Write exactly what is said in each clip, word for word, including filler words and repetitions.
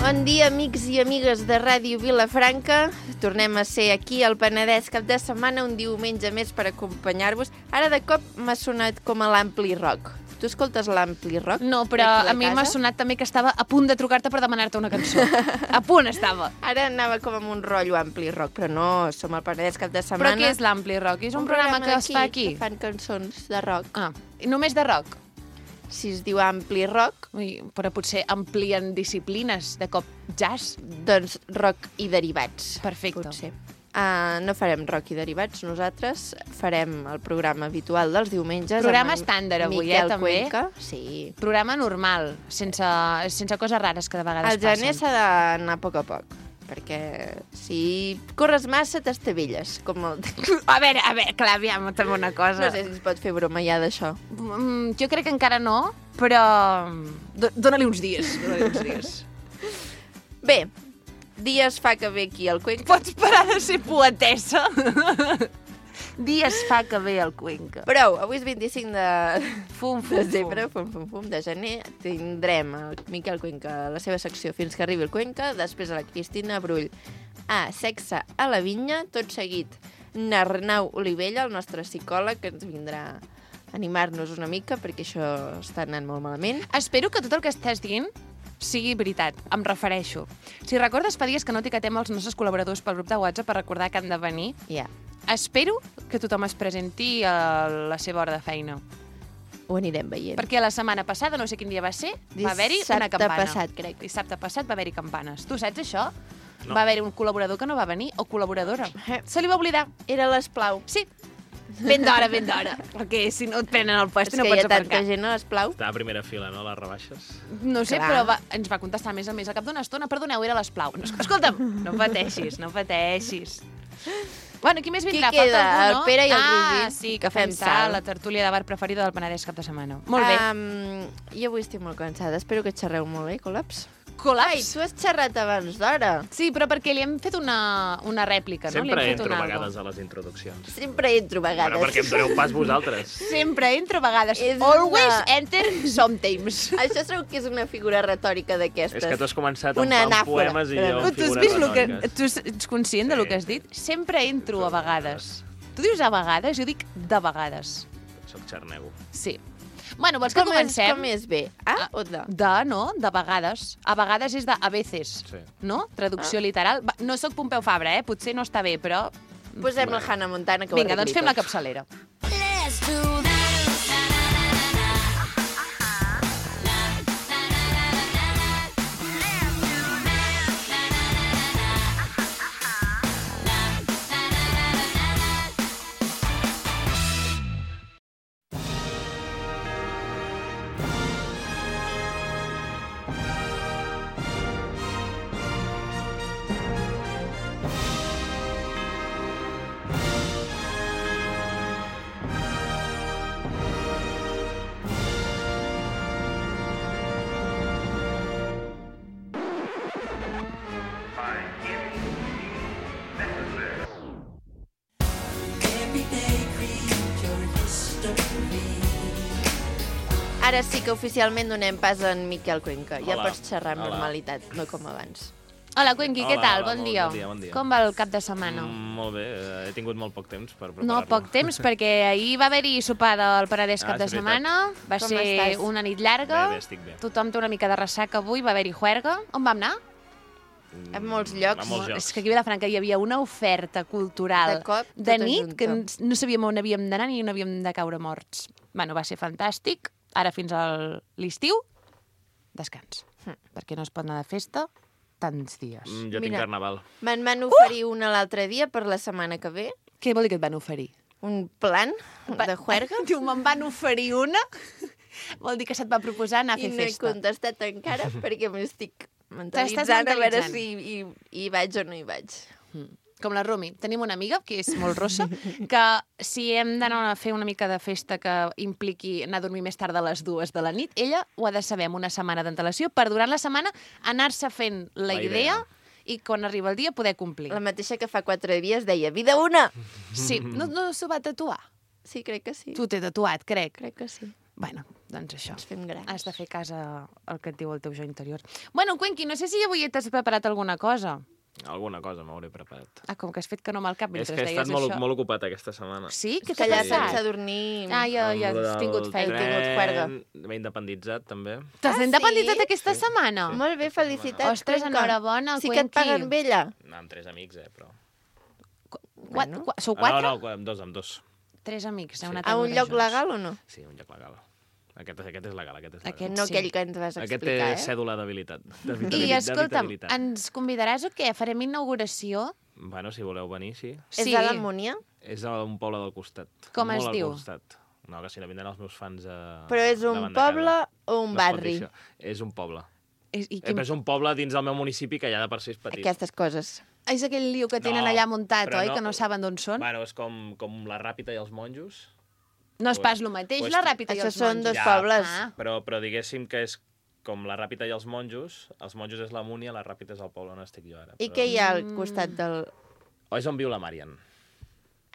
Bon dia, amics i amigues de Ràdio Vilafranca. Tornem a ser aquí al Penedès cap de setmana, un diumenge més per acompanyar-vos. Ara de cop m'ha sonat com a l'Ampli Rock. Tu escoltes l'Ampli Rock? No, però a mi m'ha sonat també que estava a punt de trucar-te per demanar-te una cançó. A punt estava. Ara anava com amb un rotllo Ampli Rock, però no, som al Penedès cap de setmana. Però què és l'Ampli Rock? És un, un programa, programa que es fa aquí? Que fan cançons de rock. Ah, i només de rock? Si es diu Ampli Rock... Ui, però potser amplien disciplines, de cop jazz? Doncs rock i derivats. Perfecte. Potser. Uh, no farem rock i derivats, nosaltres farem el programa habitual dels diumenges. Programa estàndard avui, Miquel eh, també? Cuenca. Sí. Programa normal, sense, sense coses rares que de vegades passen. El gener passen. s'ha d'anar a poc a poc, perquè si corres massa t'estavilles. Com el... A veure, a veure, clar, aviam, també una cosa. No sé si es pot fer broma ja d'això. Mm, jo crec que encara no, però dóna-li uns dies. Dóna-li uns dies. Bé, dies fa que ve aquí al Cuenca. Pots parar de ser poetessa? Dies fa que ve al Cuenca. Prou, avui és vint-i-cinc de fum, fum, desembre, fum, fum, fum, de gener. Tindrem el Miquel Cuenca a la seva secció Fins que arribi el Cuenca, després a la Cristina Brull a Sexe a la Vinya, tot seguit n'Arnau Olivella, el nostre psicòleg, que ens vindrà a animar-nos una mica, perquè això està anant molt malament. Espero que tot el que estàs dient sigui veritat, em refereixo. Si recordes, fa dies que no etiquetem els nostres col·laboradors pel grup de WhatsApp per recordar que han de venir. Ja. Yeah. Espero que tothom es presenti a la seva hora de feina. Ho anirem veient. Perquè la setmana passada, no sé quin dia va ser, va haver-hi una campana. Dissabte passat, crec. Dissabte passat va haver-hi campanes. Tu saps això? No. Va haver-hi un col·laborador que no va venir, o col·laboradora. Se li va oblidar. Era l'Esplau. Sí. Ben d'hora, ben d'hora. Perquè si no et prenen el puesto no pots aparcar. És que hi ha aparcar. tanta gent a l'Esplau. Està a primera fila, no, les rebaixes? No sé, Clar. però va, ens va contestar més a més a cap d'una estona. Perdoneu, era l'Esplau. No, escolta'm, no pateixis, no pateixis. Bueno, qui més vindrà? Qui queda? Falta algú, no? El Pere i el ah, Roger, Ah, sí, que que fem fem sal, sal. la tertúlia de bar preferida del Penedès cap de setmana. Molt bé. Um, jo avui estic molt cansada. Espero que xerreu molt bé, Col·laps. Col·laps. Ai, tu has xerrat abans d'hora. Sí, però perquè li hem fet una, una rèplica, no? Sempre li hem fet entro a una vegades a les introduccions. Sempre entro a vegades. Bueno, perquè em doneu pas vosaltres. Sempre entro a vegades. És Always una- enter sometimes. Això segur que és una figura retòrica d'aquestes. És que tu has començat Una amb, amb anàfora. poemes i Però jo no. amb Tu has figures vist lo que... retòriques. Tu ets conscient de lo que has dit? Sempre entro a vegades. Tu dius a vegades, jo dic de vegades. Soc xarnego. Sí. Bueno, vols que Com és, comencem? com és bé? A o de? De, no? De vegades. A vegades és de a veces. Sí. No? Traducció literal. Va, no sóc Pompeu Fabra, eh? Potser no està bé, però... Posem la Hannah Montana, que ho Vinga, doncs arregli fem la tot. capçalera. Let's do this. Ara sí que oficialment donem pas a en Miquel Cuenca. Ja Hola. pots xerrar amb Hola. normalitat, no com abans. Hola, Cuenqui, què Hola, tal? hola, Bon molt dia. bon dia, bon dia. Com va el cap de setmana? Mm, molt bé, eh, he tingut molt poc temps per preparar-lo. No, poc temps, perquè ahir va haver-hi sopar del Penedès cap Ah, de és veritat. setmana. Va Com ser estàs? una nit llarga. Bé, bé, estic bé. Tothom té una mica de ressaca avui. Va haver-hi juerga. On vam anar? Mm, A molts llocs. A molts llocs. És que aquí a Vilafranca hi havia una oferta cultural De cop, de tota nit junta. que n- no sabíem on havíem d'anar ni on havíem de caure morts. Bueno, va ser fantàstic. Ara fins a l'estiu, descans. Hm. Perquè no es pot anar de festa tants dies. Mm, jo tinc Mira. carnaval. Me'n van oferir una l'altre dia per la setmana que ve. Què vol dir que et van oferir? Un plan de juerga. Diu, me'n van oferir una? Vol dir que se't va proposar anar a I fer no he festa. contestat encara perquè m'estic T'estàs mentalitzant a veure mentalitzant. si hi, hi vaig o no hi vaig. Com la Rumi. Tenim una amiga, que és molt rossa, que si hem d'anar a fer una mica de festa que impliqui anar a dormir més tard de les dues de la nit, ella ho ha de saber amb una setmana d'antelació per durant la setmana anar-se fent la, La idea, idea. i quan arriba el dia poder complir. La mateixa que fa quatre dies deia, vida una! Sí, no, no s'ho va tatuar. Sí, crec que sí. Tu t'he tatuat, crec. Crec que sí. Bueno, Doncs això. Ens fem grans. Has de fer cas al que et diu el teu jo interior. Bueno, Cuenqui, no sé si avui t'has preparat alguna cosa. Alguna cosa m'hauré preparat. Ah, com que has fet que no amb el cap És mentre que he deies estat molt, això. molt ocupat aquesta setmana. Sí? Què Que t'ha ja Sí. sense passat? dormir... Ah, ja, ja Amb lo has del tingut feina. He tingut juerga. tren, M'he independitzat, també. T'has Ah, independitzat sí? aquesta setmana? Molt bé, felicitats, Ostres, Cuenca. enhorabona, Sí que et Cuenqui. paguen bé, allà. No, amb tres amics, eh, però... Qua- Bueno. qua- Sou Ah, quatre? no, no, amb dos, amb dos. Tres amics. Sí. heu anat A un veure lloc junts. legal o no? Sí, un lloc legal. Aquest, aquest és legal, aquest és legal. Aquest No sí. aquell que ens vas Aquest té explicar, eh? cèdula d'habilitat. I d'habitabilitat- escolta'm, d'habitabilitat. ens convidaràs o què? Farem inauguració? Bueno, si voleu venir, sí. Sí. És a la Múnia? És a un poble del costat. Com Molt es al diu? Costat. No, que si no vindran els meus fans a... Però és un davant de poble casa. o un No es pot barri? dir això. És un poble. És, i Eh, quin... però és un poble dins del meu municipi que ja de per si és petit. Aquestes coses. és aquell liu que tenen No, allà muntat, però oi? no- Que no saben d'on són? Bueno, és com, com la Ràpita i els monjos, No és pues- pas el mateix, pues- la Ràpita i Això els són monjos. dos Ja. pobles. Ah. però, però diguéssim que és com la Ràpita i els monjos. Els monjos és la Múnia, la Ràpita és el poble on estic jo ara. I Però... què hi ha al costat del... O és on viu la Marian.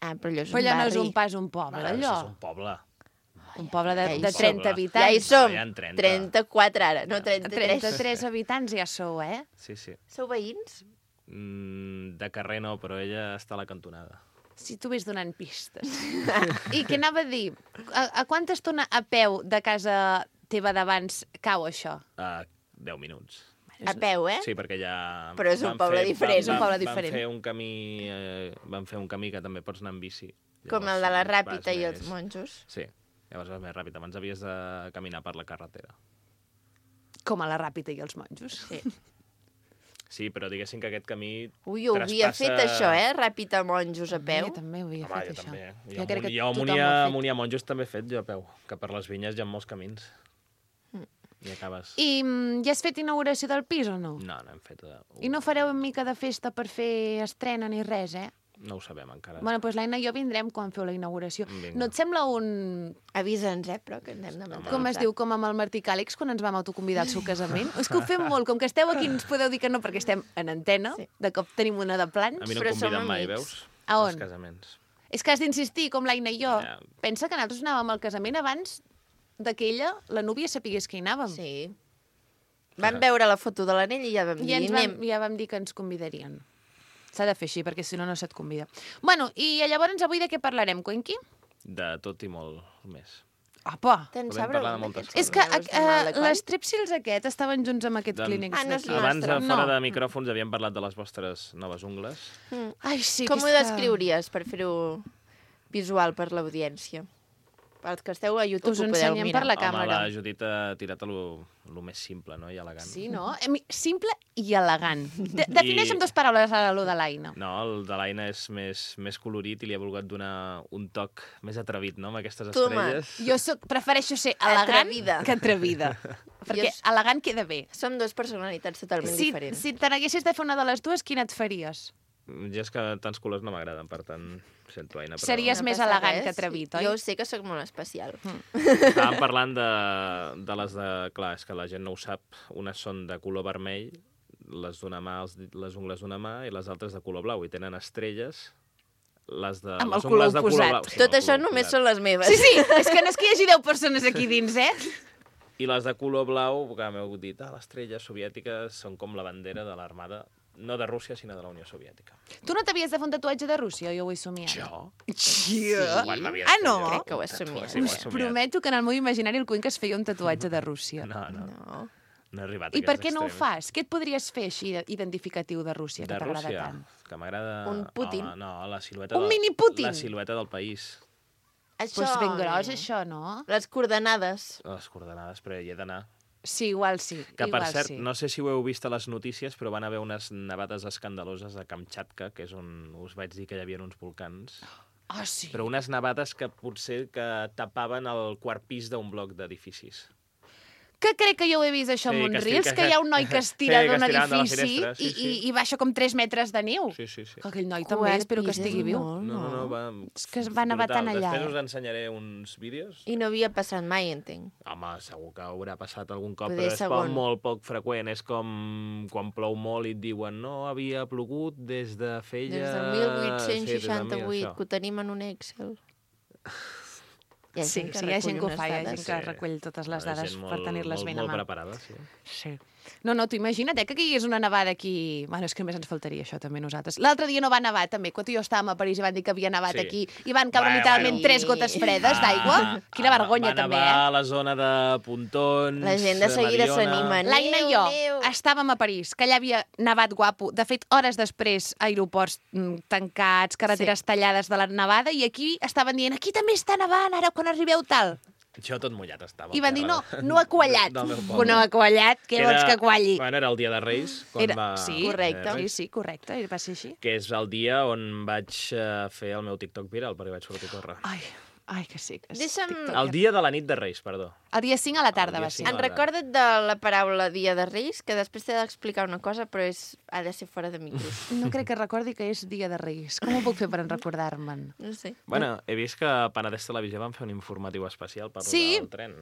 Ah, però allò és Però un allò no barri. és un pas un poble, Bueno, allò. És un poble. Un poble de, Ja hi de som. trenta Ja habitants. Ja hi som. Ja en trenta. trenta-quatre ara, no trenta-tres. trenta-tres habitants ja sou, eh? Sí, sí. Sou veïns? Mm, de carrer no, però ella està a la cantonada. Si tu vés donant pistes. I què anava a dir? A, a quanta estona a peu de casa teva d'abans cau això? A deu minuts. A peu, eh? Sí, perquè ja... Però és un vam poble fer- diferent. vam- És un poble vam- diferent. Vam fer un camí, eh, vam fer un camí que també pots anar amb bici. Com el Llavors, de la vas Ràpita i més- els monjos. Sí, llavors vas més ràpid. Abans havies de caminar per la carretera. Com a la Ràpita i els monjos. Sí. Sí, però diguéssim que aquest camí... Ui, ho havia traspassa- fet això, eh? Ràpita monjos a peu. Jo també ho havia Home, fet, jo això. també. Jo Jo, crec que jo a tothom Múnia, ho ha fet. Múnia Monjos també he fet jo a peu, que per les vinyes hi ha molts camins. I acabes... I mm, ja has fet inauguració del pis o no? No, no hem fet... Uh, I no fareu una mica de festa per fer estrena ni res, eh? No ho sabem encara. Bueno, doncs l'Aina i jo vindrem quan feu la inauguració. Vinga. No et sembla un... Avisa'ns, eh? Però que ens hem de menjar. Com es diu, com amb el Martí Càlix, quan ens vam autoconvidar al seu casament? És que ho fem molt, com que esteu aquí ens podeu dir que no perquè estem en antena, Sí. de cop tenim una de plans. A mi no però em som conviden mai, amics. veus? A on? Als casaments. És que has d'insistir, com l'Aina i jo. Ja. Pensa que nosaltres anàvem al casament abans de que ella, la núvia, sapigués que hi anàvem. Sí. Vam veure la foto de l'anell i ja vam I dir, ens vam, anem. ja vam dir que ens convidarien. S'ha de fer així, perquè si no, no se't convida. Bueno, i llavors avui de què parlarem, Cuenqui? De tot i molt més. Apa! Te'n Podem sabrà parlar de un moltes d'aquests És que meus de mal de uh, coll? les Strepsils aquest estaven junts amb aquest Doncs- clínic Ah, no és d'aquí. nostre. Abans, a fora No. de micròfons, havíem parlat de les vostres noves ungles. Ai, sí, Com ho aquesta- descriuries per fer-ho visual per l'audiència? Els que esteu a YouTube Us ho ho podeu ensenyem mirar. per la Home, càmera. la Judit ha tirat a lo, lo més simple, no? I elegant. Sí, no? Eh, mi- Simple i elegant. De defineix I- amb dues paraules ara lo de l'Aina. No, el de l'Aina és més, més colorit i li ha volgut donar un toc més atrevit, no?, amb aquestes Toma, estrelles. Jo soc, prefereixo ser elegant Atrevida. que atrevida. Perquè Jo- elegant queda bé. Som dues personalitats totalment Si, diferents. si te n'haguessis de fer una de les dues, quina et faries? Jo és que tants colors no m'agraden, per tant, sento Aina. Però... Series- És més passa elegant res. que atrevit, oi? Jo sé que sóc molt especial. Estàvem parlant de, de les de... Clar, és que la gent no ho sap. Unes són de color vermell, les d'una mà, els, dit- les ungles d'una mà, i les altres de color blau. I tenen estrelles, les de... Amb el les color ungles de oposat. color blau. Sí, Tot amb el això color només oposat. són les meves. Sí, sí, és que no és que hi hagi deu persones aquí dins, eh? I les de color blau, que m'heu dit, ah, les estrelles soviètiques són com la bandera de l'armada, no de Rússia, sinó de la Unió Soviètica. Tu no t'havies de fer un tatuatge de Rússia, jo ho he somiat. Jo? Jo? Quan m'havies Ah, fet no? jo Crec que ho un has tatuatge? somiat. Sí, ho he Us somiat. prometo que en el meu imaginari el Cuenca es feia un tatuatge de Rússia. No, no, No. no he arribat a I per aquests què no ho extrems. fas? Què et podries fer així identificatiu de Rússia, que De t'agrada Rússia, tant? que m'agrada... Un Putin? Home, no, la silueta... Un del- mini Putin? La silueta del país. Això... Doncs pues ben gros, això, no? Les coordenades. Les coordenades, però hi he d'anar. Sí, igual sí. Que, per igual cert, sí. no sé si ho heu vist a les notícies, però van haver unes nevades escandaloses a Kamchatka, que és on us vaig dir que hi havia uns volcans. Ah, sí. Però unes nevades que potser que tapaven el quart pis d'un bloc d'edificis. Que crec que jo ho he vist, això, Sí, amb que uns estic- reels, que- que hi ha un noi que es tira Sí, que d'un es tiraven de la edifici finestra, sí, i, sí. i, i baixa com tres metres de neu. Sí, sí, sí. Que aquell noi també, espero que estigui viu. No, no, no, va... És que es va nevar tant allà, Després eh? us ensenyaré uns vídeos. I no havia passat mai, entenc. Home, segur que haurà passat algun cop, Poder però és segon. com molt poc freqüent. És com quan plou molt i et diuen no havia plogut des de feia... Des del mil vuit-cents Sí, des del seixanta-vuit, mil, que ho tenim en un Excel. Hi ha Sí, gent que sí, hi ha gent recull que ho unes fa, hi ha dades. gent que Sí. recull totes les Hi ha dades gent per molt- tenir-les molt- ben a molt mà. preparada, sí. Sí. No, no, tu imagina't eh, que caigués una nevada aquí... Bueno, és que només ens faltaria això, també, nosaltres. L'altre dia no va nevar, també, quan tu i jo estàvem a París i van dir que havia nevat Sí. aquí i van caure Bueno, literalment bueno. tres gotes fredes d'aigua. Quina Ah, vergonya, va també, nevar eh? a la zona de Pontons, La gent de seguida Mediona. s'anima. L'Aina i Neu, jo neu. estàvem a París, que allà havia nevat guapo. De fet, hores després, aeroports mm, tancats, carreteres Sí. tallades de la nevada, i aquí estaven dient, aquí també està nevant, ara quan arribeu tal. Jo tot mullat estava. I van dir, no, al terra no ha quallat. del meu Que poble. no ha quallat, què vols que qualli? Bueno, era el dia de Reis, quan Era- va... sí, correcte. eh, Sí, Reis, sí, correcte, va ser així. Que és el dia on vaig eh, fer el meu TikTok viral, perquè vaig sortir a córrer. Ai, ai, que sí. Que és Deixa'm- TikToker. El dia de la nit de Reis, perdó. El dia cinc a la tarda El dia va ser. cinc. En recorda't de la paraula Dia de Reis, que després t'he d'explicar una cosa, però és... ha de ser fora de micros. No crec que recordi que és dia de Reis. Com ho puc fer per en recordar-me'n? No sé. Bueno, he vist que a Penedès Televisió van fer un informatiu especial per Sí. el tren,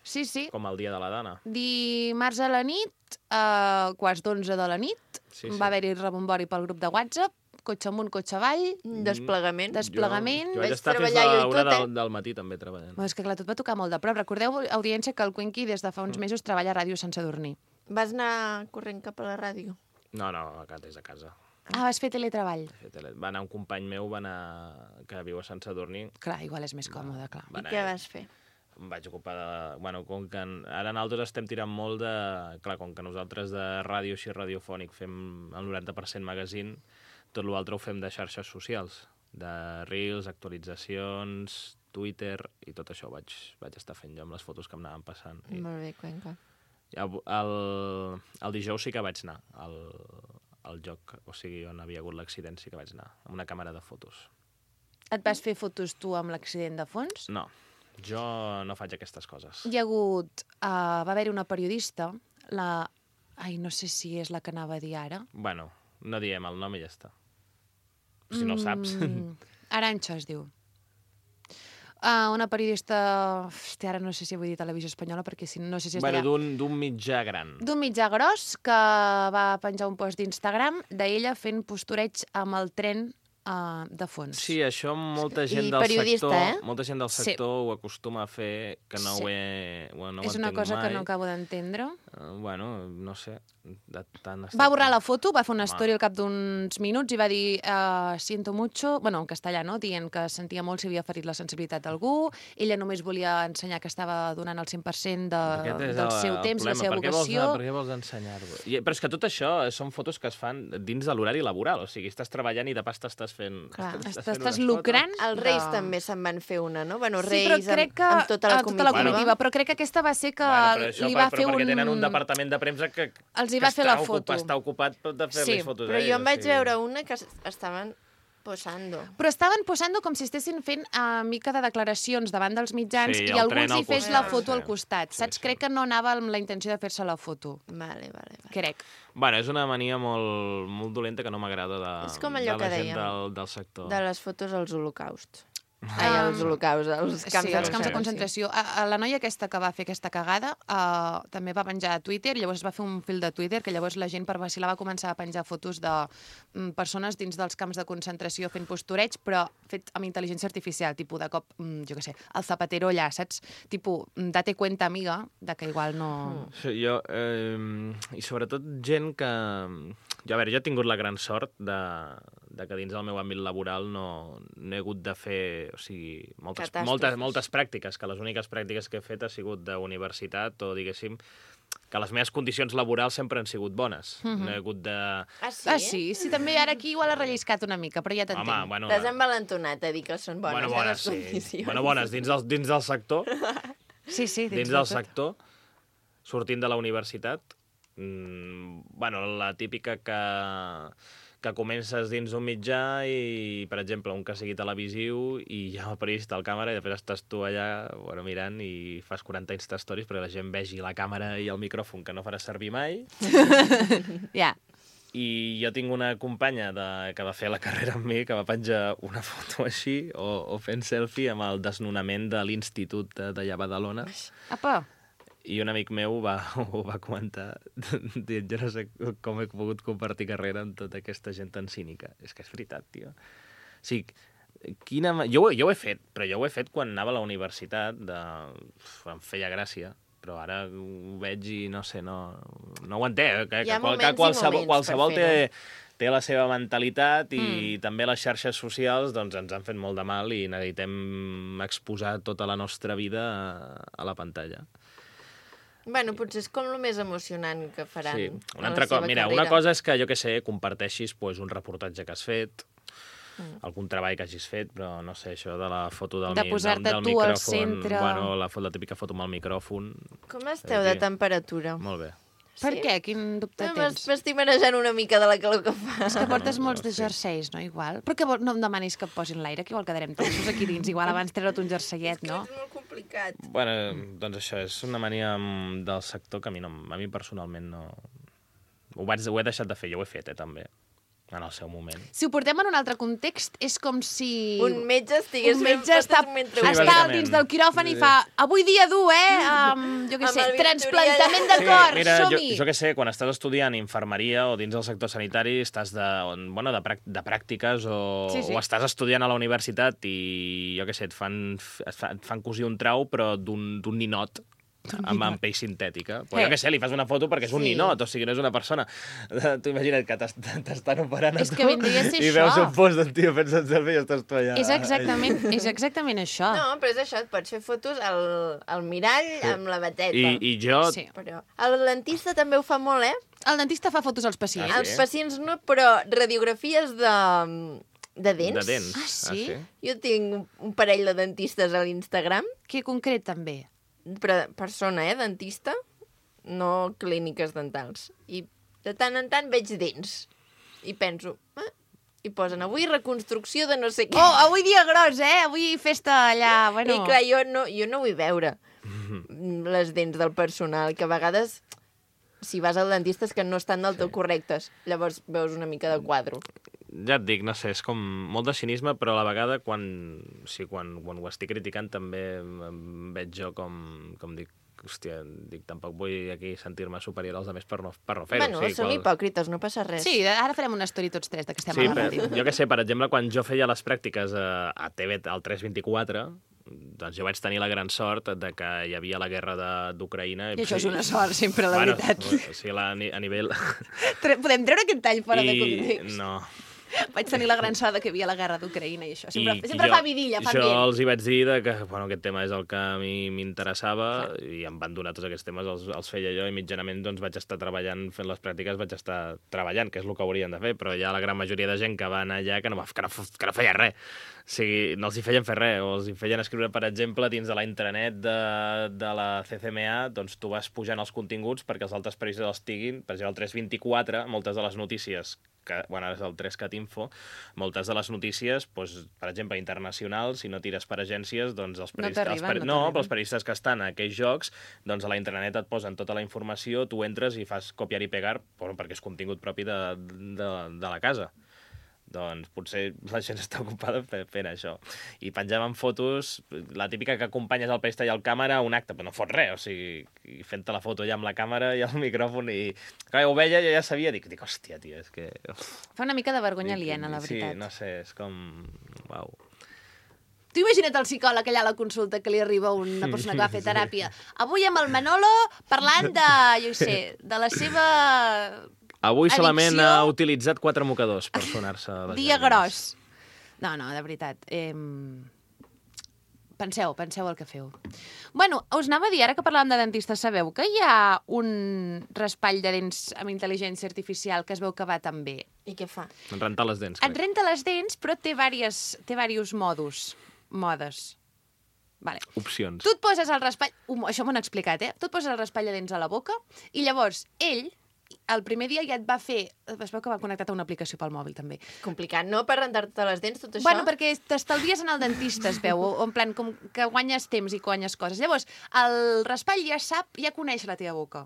Sí, sí. com el dia de la dona. Dimarts a la nit, a quarts d'onze de la nit, Sí, sí. va haver-hi rebombori pel grup de WhatsApp, cotxe amunt, cotxe avall. Desplegament. Des- Desplegament. Jo, jo vaig Vaig estar fins treballar a jo i una tot, eh? del, del matí també treballant. Bueno, és que clar, tot va tocar molt de prop. Recordeu, audiència, que el Cuenqui des de fa Mm. uns mesos treballa a ràdio sense dormir. Vas anar corrent cap a la ràdio? No, no, acá des de casa. Ah, vas fer teletreball. He fet tele- Va anar un company meu, va anar... que viu a Sant Sadurní. Clar, igual és més còmode, clar. Va I anar què ell. vas fer? Em vaig ocupar de... Bueno, com que en... ara nosaltres estem tirant molt de... Clar, com que nosaltres de ràdio així radiofònic fem el noranta per cent magazine, tot l'altre ho fem de xarxes socials, de reels, actualitzacions, Twitter, i tot això ho vaig, vaig estar fent jo amb les fotos que em anaven passant. I Molt bé, Cuenca. el, el, el dijous sí que vaig anar al, al joc, o sigui, on havia hagut l'accident sí que vaig anar, amb una càmera de fotos. Et vas fer fotos tu amb l'accident de fons? No, jo no faig aquestes coses. Hi ha hagut... Uh, va haver-hi una periodista, la... Ai, no sé si és la que anava a dir ara. Bueno, no diem el nom i ja està. Si no ho saps. Mm, Arantxa es diu. Uh, una periodista... Hòstia, ara no sé si vull dir televisió espanyola, perquè si no sé si es Bueno, deia... d'un d'un mitjà gran. D'un mitjà gros que va penjar un post d'Instagram d'ella fent postureig amb el tren uh, de fons. Sí, això molta gent I del periodista, sector, eh? molta gent del Sí. sector ho acostuma a fer, que no Sí. ho he... Bueno, no És ho una entenc cosa mai. que no acabo d'entendre. Uh, bueno, no sé. De tant Va borrar la foto, va fer una Home. story al cap d'uns minuts i va dir uh, siento mucho, bueno, en castellà, no? Dient que sentia molt si havia ferit la sensibilitat d'algú, ella només volia ensenyar que estava donant el cent per cent de, Aquest és del el- seu el temps, la problema. seva per què vols, vocació. Per què vols ensenyar-ho? I- Però és que tot això són fotos que es fan dins de l'horari laboral, o sigui, estàs treballant i de pas t'estàs fent... Clar. estàs Estàs, fent estàs unes lucrant. Els Reis de- també se'n van fer una, no? Bueno, Sí, Reis però crec que... amb, amb tota la eh, tota la comitiva. comitiva, però crec que aquesta va ser que Bueno, però això, li per- va però fer perquè un... tenen un departament de premsa que, Els hi que va fer la està foto. Ocupat, està ocupat de fer-li Sí, fotos Però a jo ells, em o vaig sigui. veure una que es- estaven posando. Però estaven posant com si estessin fent uh, mica de declaracions davant dels mitjans Sí, i el algú tren els hi al fes costat, la foto sí. al costat. Sí, Saps? sí. Crec que no anava amb la intenció de fer-se la foto. Vale, vale, vale. Crec. Bueno, és una mania molt, molt dolenta que no m'agrada de, És com allò de la que gent dèiem, del, del sector. De les fotos als holocausts. Ai, als holocausts, als camps Sí, de els camps de concentració. concentració. A, a la noia aquesta que va fer aquesta cagada uh, també va penjar a Twitter, llavors es va fer un fil de Twitter, que llavors la gent per vacilar va començar a penjar fotos de mm, persones dins dels camps de concentració fent postureig, però fet amb intel·ligència artificial, tipus de cop, mm, jo què sé, el zapatero allà, saps? Tipus, mm, date cuenta, amiga, de que igual no... Sí, jo, eh, i sobretot gent que... Jo, a veure, jo he tingut la gran sort de, de que dins del meu àmbit laboral no, no he hagut de fer, o sigui, moltes, Catàstrofes. moltes, moltes pràctiques, que les úniques pràctiques que he fet ha sigut d'universitat o, diguéssim, que les meves condicions laborals sempre han sigut bones. No he hagut de... Ah, sí? Ah, sí? Sí, també ara aquí igual ha relliscat una mica, però ja t'entenc. Home, bueno... T'has envalentonat a dir que són bones, bueno, eh, bones, les sí. condicions. Bueno, bones, dins del, dins del sector, Sí, sí, dins de del tot. sector, sortint de la universitat, mm, bueno, la típica que, que comences dins un mitjà i, per exemple, un que sigui televisiu i hi ha el periodista al càmera i després estàs tu allà bueno, mirant i fas quaranta Insta-stories perquè la gent vegi la càmera i el micròfon que no faràs servir mai. Ja. I jo tinc una companya de, que va fer la carrera amb mi que va penjar una foto així o, o fent selfie amb el desnonament de l'Institut de- d'allà a Badalona. Apa, I un amic meu va, ho va comentar dient, jo no sé com he pogut compartir carrera amb tota aquesta gent tan cínica. És que és veritat, tio. O sigui, Quina... ma- Jo, ho- jo ho he fet, però jo ho he fet quan anava a la universitat, de... Uf, em feia gràcia, però ara ho veig i no sé, no, no ho entenc. Que, Hi ha que, qual- moments que i qualsevol, moments per qualsevol té, fer-ho. té la seva mentalitat i Mm. també les xarxes socials doncs, ens han fet molt de mal i necessitem exposar tota la nostra vida a, a la pantalla. Bueno, potser és com el més emocionant que faran Sí, a una la altra cosa, seva mira, carrera. una cosa és que, jo que sé, comparteixis pues, un reportatge que has fet, Mm. algun treball que hagis fet, però no sé, això de la foto del, De mi- posar-te del, del tu al micròfon, centre. bueno, la, fo- la típica foto amb el micròfon. Com esteu de Aquí. temperatura? Molt bé. Per què? Quin dubte No, tens? M'estic manejant una mica de la calor que fa. És que portes No, molts no, de sí. jerseis, no? Igual. Però que vol, no em demanis que et posin l'aire, que igual quedarem tensos aquí dins. Igual abans treure't un jerseiet, no? És molt complicat. Bueno, doncs això, és una mania mm, del sector que a mi, no, a mi personalment no... Ho, vaig, ho he deixat de fer, jo ho he fet, eh, també, en el seu moment. Si ho portem en un altre context, és com si... Un metge estigués un fent metge està, fotos mentre Sí, ho està bàsicament. dins del quiròfan i fa avui dia dur, eh? Um, jo què Amb sé, el transplantament bisturí de cor, mira, jo, som-hi! jo què sé, quan estàs estudiant infermeria o dins del sector sanitari, estàs de, on- bueno, de, prac- de pràctiques o, Sí, sí. o estàs estudiant a la universitat i, jo què sé, et fan, et fa- et fan cosir un trau, però d'un d'un ninot, amb, amb pell sintètica. Però Eh. jo què sé, li fas una foto perquè és un Sí. ninot, o sigui, no és una persona. Tu imagina't que t'es- t'estan operant a És tu que vindria a ser i veus això. un post del tio fent-se el selfie i estàs tu allà. És exactament, és exactament això. No, però és això, et pots fer fotos al, al mirall amb la bateta. I, I jo... Sí. Però el dentista també ho fa molt, eh? El dentista fa fotos als pacients. Ah, Els sí? pacients no, però radiografies de, de dents. De dents. Ah, sí? Jo tinc un- un parell de dentistes a l'Instagram, Que concret, també. però persona, eh, dentista, no clíniques dentals. I de tant en tant veig dents. I penso, eh? I posen avui reconstrucció de no sé què. Oh, avui dia gros, eh? Avui festa allà, bueno... I clar, jo no, jo no vull veure les dents del personal, que a vegades, si vas al dentista, és que no estan del tot correctes. Llavors veus una mica de quadro. Ja et dic, no sé, és com molt de cinisme, però a la vegada quan, sí, quan, quan ho estic criticant també em veig jo com, com dic, hòstia, dic, tampoc vull aquí sentir-me superior als altres per no, per no fer-ho. Bueno, sí, som qual- hipòcrites, no passa res. Sí, ara farem una story tots tres de que estem Sí, a la però, ràdio. jo què sé, per exemple, quan jo feia les pràctiques a, a T V, al tres vint-i-quatre, doncs jo vaig tenir la gran sort de que hi havia la guerra de- d'Ucraïna. I això és una sort, sempre, la bueno, veritat. O sigui, la, a nivell... Tre- Podem treure aquest tall fora de context? No. Vaig tenir la gran sort de que hi havia la guerra d'Ucraïna i això. Sempre, I sempre jo, fa vidilla, fa jo ambient. els hi vaig dir de que bueno, aquest tema és el que a mi m'interessava i em van donar tots aquests temes, els, els feia jo i mitjanament doncs, vaig estar treballant, fent les pràctiques, vaig estar treballant, que és el que haurien de fer, però hi ha la gran majoria de gent que va anar allà que no, va- que no, que no feia res. O sigui, no els hi feien fer res, o els hi feien escriure, per exemple, dins de la intranet de, de la C C M A, doncs tu vas pujant els continguts perquè els altres periodistes els tinguin. Per exemple, el tres vint-i-quatre, moltes de les notícies, que, bueno, ara és el tres cat info, moltes de les notícies, doncs, per exemple, internacionals, si no tires per agències, doncs els No periodistes... t'arriben, els peri- no no, t'arriben. però els periodistes que estan a aquells jocs, doncs a la intranet et posen tota la informació, tu entres i fas copiar i pegar, bueno, perquè és contingut propi de, de, de la casa. Doncs potser la gent està ocupada fe- fent això. I penjaven fotos, la típica que acompanyes el periodista i el càmera a un acte, però no fot res, o sigui, i fent-te la foto ja amb la càmera i el micròfon, i clar, ho veia, jo ja sabia, dic, dic hòstia, tio, és que... Fa una mica de vergonya Dic, aliena, la veritat. Sí, no sé, és com... Uau. Tu imagina't el psicòleg allà a la consulta que li arriba una persona que va fer teràpia. Avui amb el Manolo parlant de, jo què sé, de la seva Avui solament Addicció. ha utilitzat quatre mocadors per sonar-se les dia llàgrimes. gros. No, no, de veritat. Eh... Penseu, penseu el que feu. Bueno, us anava a dir, ara que parlàvem de dentistes, sabeu que hi ha un raspall de dents amb intel·ligència artificial que es veu que va tan bé? I què fa? Rentar les dents, Et crec. renta les dents, però té diversos, té diversos modus, modes. Vale. Opcions. Tu et poses el raspall... Um, això m'ho han explicat, eh? Tu et poses el raspall de dents a la boca i llavors ell, el primer dia ja et va fer... Es veu que va connectat a una aplicació pel mòbil, també. Complicat, no? Per rentar-te les dents, tot això? Bueno, perquè t'estalvies en el dentista, es veu, o en plan, com que guanyes temps i guanyes coses. Llavors, el raspall ja sap, ja coneix la teva boca.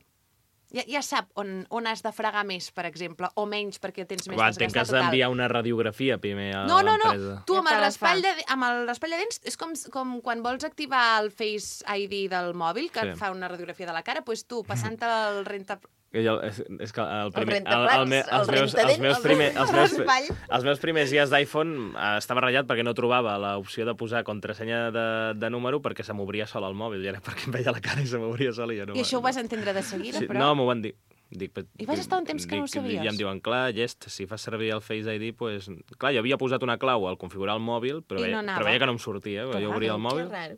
Ja, ja sap on, on has de fregar més, per exemple, o menys, perquè tens més Va, entenc que desgastat has o tal. d'enviar una radiografia primer a No, no, no. l'empresa. Tu Ja amb te el, la raspall fa. de, amb el raspall de dents és com, com quan vols activar el Face I D del mòbil, que Sí. et fa una radiografia de la cara, doncs tu, passant el renta... Jo, és, és que el primer, El rentaplats, el, el, el els, meus, els, rentadents, meus el primer, els, meus, raspall. els meus primers dies d'iPhone eh, estava ratllat perquè no trobava l'opció de posar contrasenya de, de número perquè se m'obria sol el mòbil, i era perquè em veia la cara i se m'obria sol i ja no... I això ho vas entendre de seguida, sí, però... No, m'ho van dir. Dic, I vas estar un temps que dic, no ho sabies? I em diuen, clar, llest, si fas servir el Face I D, pues... Clar, jo havia posat una clau al configurar el mòbil, però, I no veia, anava. però veia que no em sortia, Que jo obria el raro, mòbil... Que raro.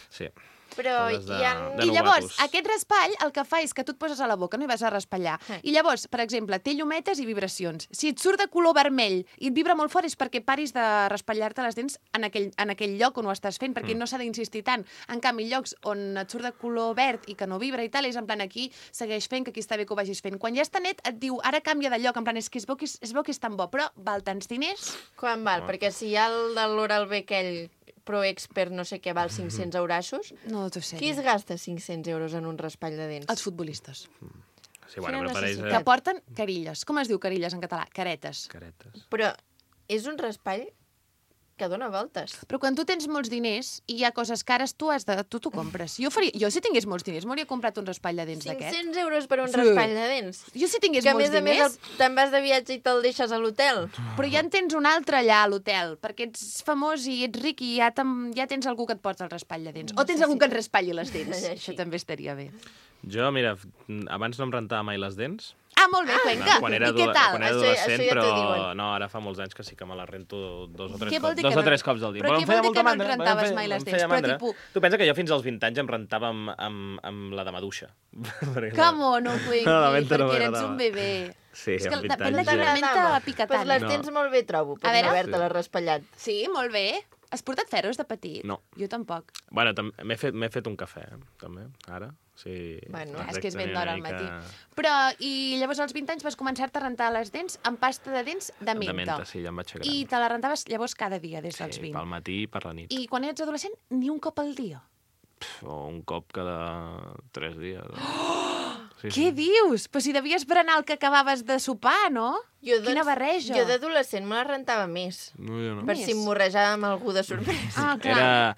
Sí. Però Coses de- hi ha... de I llavors, novatos. aquest raspall el que fa és que tu et poses a la boca, no hi vas a raspallar. Eh. I llavors, per exemple, té llumetes i vibracions. Si et surt de color vermell i et vibra molt fort és perquè paris de raspallar-te les dents en aquell, en aquell lloc on ho estàs fent, perquè Mm. no s'ha d'insistir tant. En canvi, llocs on et surt de color verd i que no vibra i tal, és en plan aquí, segueix fent, que aquí està bé que ho vagis fent. Quan ja està net, et diu, ara canvia de lloc, en plan, és que es veu que és, es veu que és tan bo, però val tants diners? Quan val? Perquè si hi ha el de l'Oral-B aquell Pro Expert no sé què val cinc-cents eurassos, No, t'ho sé. qui es gasta cinc-cents euros en un raspall de dents? Els futbolistes. Sí, bueno, Quina però per ells... necessitat? Que Eh, porten carilles. Com es diu carilles en català? Caretes. caretes. Però és un raspall que dona voltes. Però quan tu tens molts diners i hi ha coses cares, tu has de, tu t'ho compres. Jo, faria, jo si tingués molts diners, m'hauria comprat un raspall de dents d'aquest. cinc-cents euros per un Sí. raspall de dents. Jo si tingués Que a molts més a més diners, el- te'n vas de viatge i te'l deixes a l'hotel. però ja en tens un altre allà a l'hotel, perquè ets famós i ets ric i ja, ja tens algú que et porta el raspall de dents. O tens algú que et raspalli les dents. Així. Això també estaria bé. Jo, mira, abans no em rentava mai les dents. Ah, molt bé, Cuenca. Quan era, I què adole- tal? quan era Això- adolescent, això ja t'ho però diuen. no, ara fa molts anys que sí que me la rento dos o tres, Què vol cops, dir dos que o no- tres cops al dia. però què em feia vol dir molta que no et mandra, em rentaves feia- mai les em dents? feia Però mandra. tipus- Tu pensa que jo fins als vint anys em rentava amb, amb, amb la de maduixa. Perquè- Que mono, Cuenqui, No, la menta no perquè eres m'agradava. un bebè. Sí, És que amb vint depèn de anys quina ja. menta pica Pues tant. les No. tens molt bé, trobo, per A veure. no haver-te-la raspallat. Sí, molt bé. Has portat ferros de petit? No. Jo tampoc. Bueno, tam- m'he fet, m'he fet un cafè, eh, també, ara. Sí, Bueno, abans és que és ben tenir d'hora una al matí. mica Però, i llavors als vint anys vas començar-te a rentar les dents amb pasta de dents de menta. De menta, sí, ja em vaig fer gran. I te la rentaves llavors cada dia, des dels Sí, vint. pel matí i per la nit. I quan eres adolescent, ni un cop al dia. Pff, o un cop cada tres dies. Sí, Què dius? Però si devies berenar el que acabaves de sopar, no? Jo, Quina barreja. Jo d'adolescent me la rentava més. No, jo no. Per Més? si em morrejava amb algú de sorpresa. Ah, clar. Era...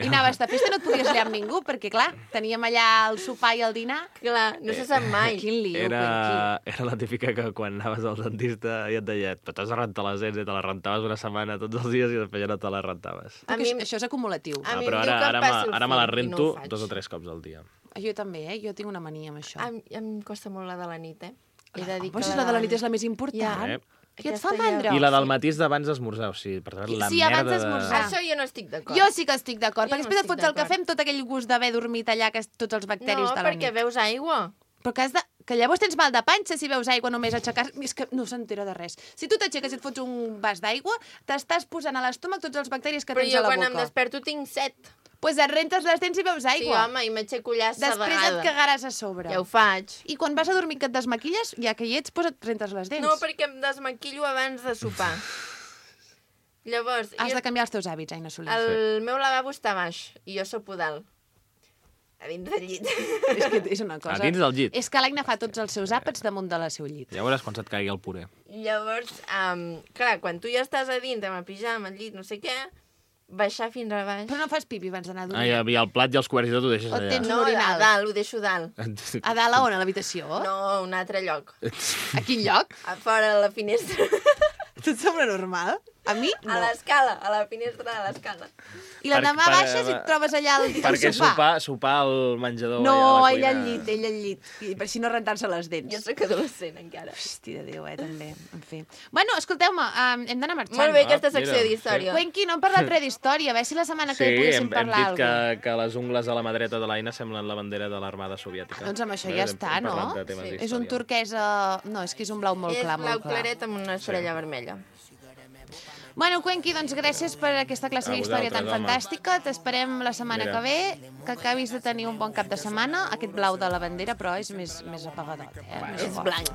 I anaves de festa, no et podies liar amb ningú, perquè, clar, teníem allà el sopar i el dinar. Clar, no se sap mai. Quin lío, Era, era la típica que quan anaves al dentista i et deia, però t'has de rentar les dents i te les rentaves una setmana tots els dies i després ja no te les rentaves. A A mi- mi... Això és acumulatiu. A Ah, mi però em diu ara, que em ara, passi me, el ara me la fil i no rento ho faig. dos o tres cops al dia. Jo també, eh? Jo tinc una mania amb això. A, mi- a mi em costa molt la de la nit, eh? He de dir Però que si la de la nit és la més important. Ja. Eh? Qui et fa Aquesta ja- mandra? I la del matí és d'abans d'esmorzar, o sigui, per tant, la Sí, merda abans de... d'esmorzar. Això jo no estic d'acord. Jo sí que estic d'acord, Jo perquè no després et estic fots el d'acord. cafè amb tot aquell gust d'haver dormit allà, que és tots els bacteris No, de la perquè nit. veus aigua. Però que, has de... que llavors tens mal de panxa si veus aigua només aixecar... És que no s'entera de res. Si tu t'aixeques i et fots un vas d'aigua, t'estàs posant a l'estómac tots els bacteris que Però tens jo a la quan boca. em desperto tinc set. Pues et rentes les dents i veus Sí, aigua. home, i m'aixeco allà Després sedegada. et cagaràs a sobre. Ja ho faig. I quan vas a dormir que et desmaquilles, ja que hi ets, pues et rentes les dents. No, perquè em desmaquillo abans de sopar. Llavors, Has jo, de canviar els teus hàbits, Aina Soler. el meu lavabo està baix i jo sopo dalt. A dins del llit. És que és una cosa... A dins del llit. És que l'Aina fa tots els seus àpats damunt de la seu llit. Ja veuràs quan se't caigui el puré. Llavors, um, clar, quan tu ja estàs a dins amb el pijama, al llit, no sé què, baixar fins a baix... Però no fas pipi abans d'anar a Ah, dormir. hi havia el plat i els coberts i tot ho deixes O allà. tens- No, un a orinal. dalt, ho deixo dalt. A dalt a on? A l'habitació? No, a un altre lloc. A quin lloc? A fora, a la finestra. Tot sembla normal? A mi, A l'escala, a la finestra de l'escala. I l'endemà Per- per- baixes i et trobes allà al, al Perquè sofà. sopar, sopar al menjador No, allà a la ell cuina... al llit, ell al llit. I per si no rentar-se les dents. Jo sóc adolescent, encara. Hòstia de Déu, eh, també. En fi. Bueno, escolteu-me, um, hem d'anar marxant. Molt bé, Ah, aquesta secció mira, d'història. Cuenqui, no hem parlat res d'història. A veure si la setmana que Sí, ve poguéssim hem, hem parlar dit alguna que, que les ungles a la mà dreta de l'Aina semblen la bandera de l'armada soviètica. Doncs amb això Bé, ja hem- està, hem no? parlat de temes Sí. És un d'història. turquesa... No, és que és un blau molt És clar, blau molt clar. claret amb una estrella vermella. Bueno, Cuenqui, doncs gràcies per aquesta classe A d'història tan vosaltres, home. fantàstica. T'esperem la setmana Mira. que ve, que acabis de tenir un bon cap de setmana. Aquest blau de la bandera, però és més, més apagadot, eh? Bueno, Més És fort. blanc.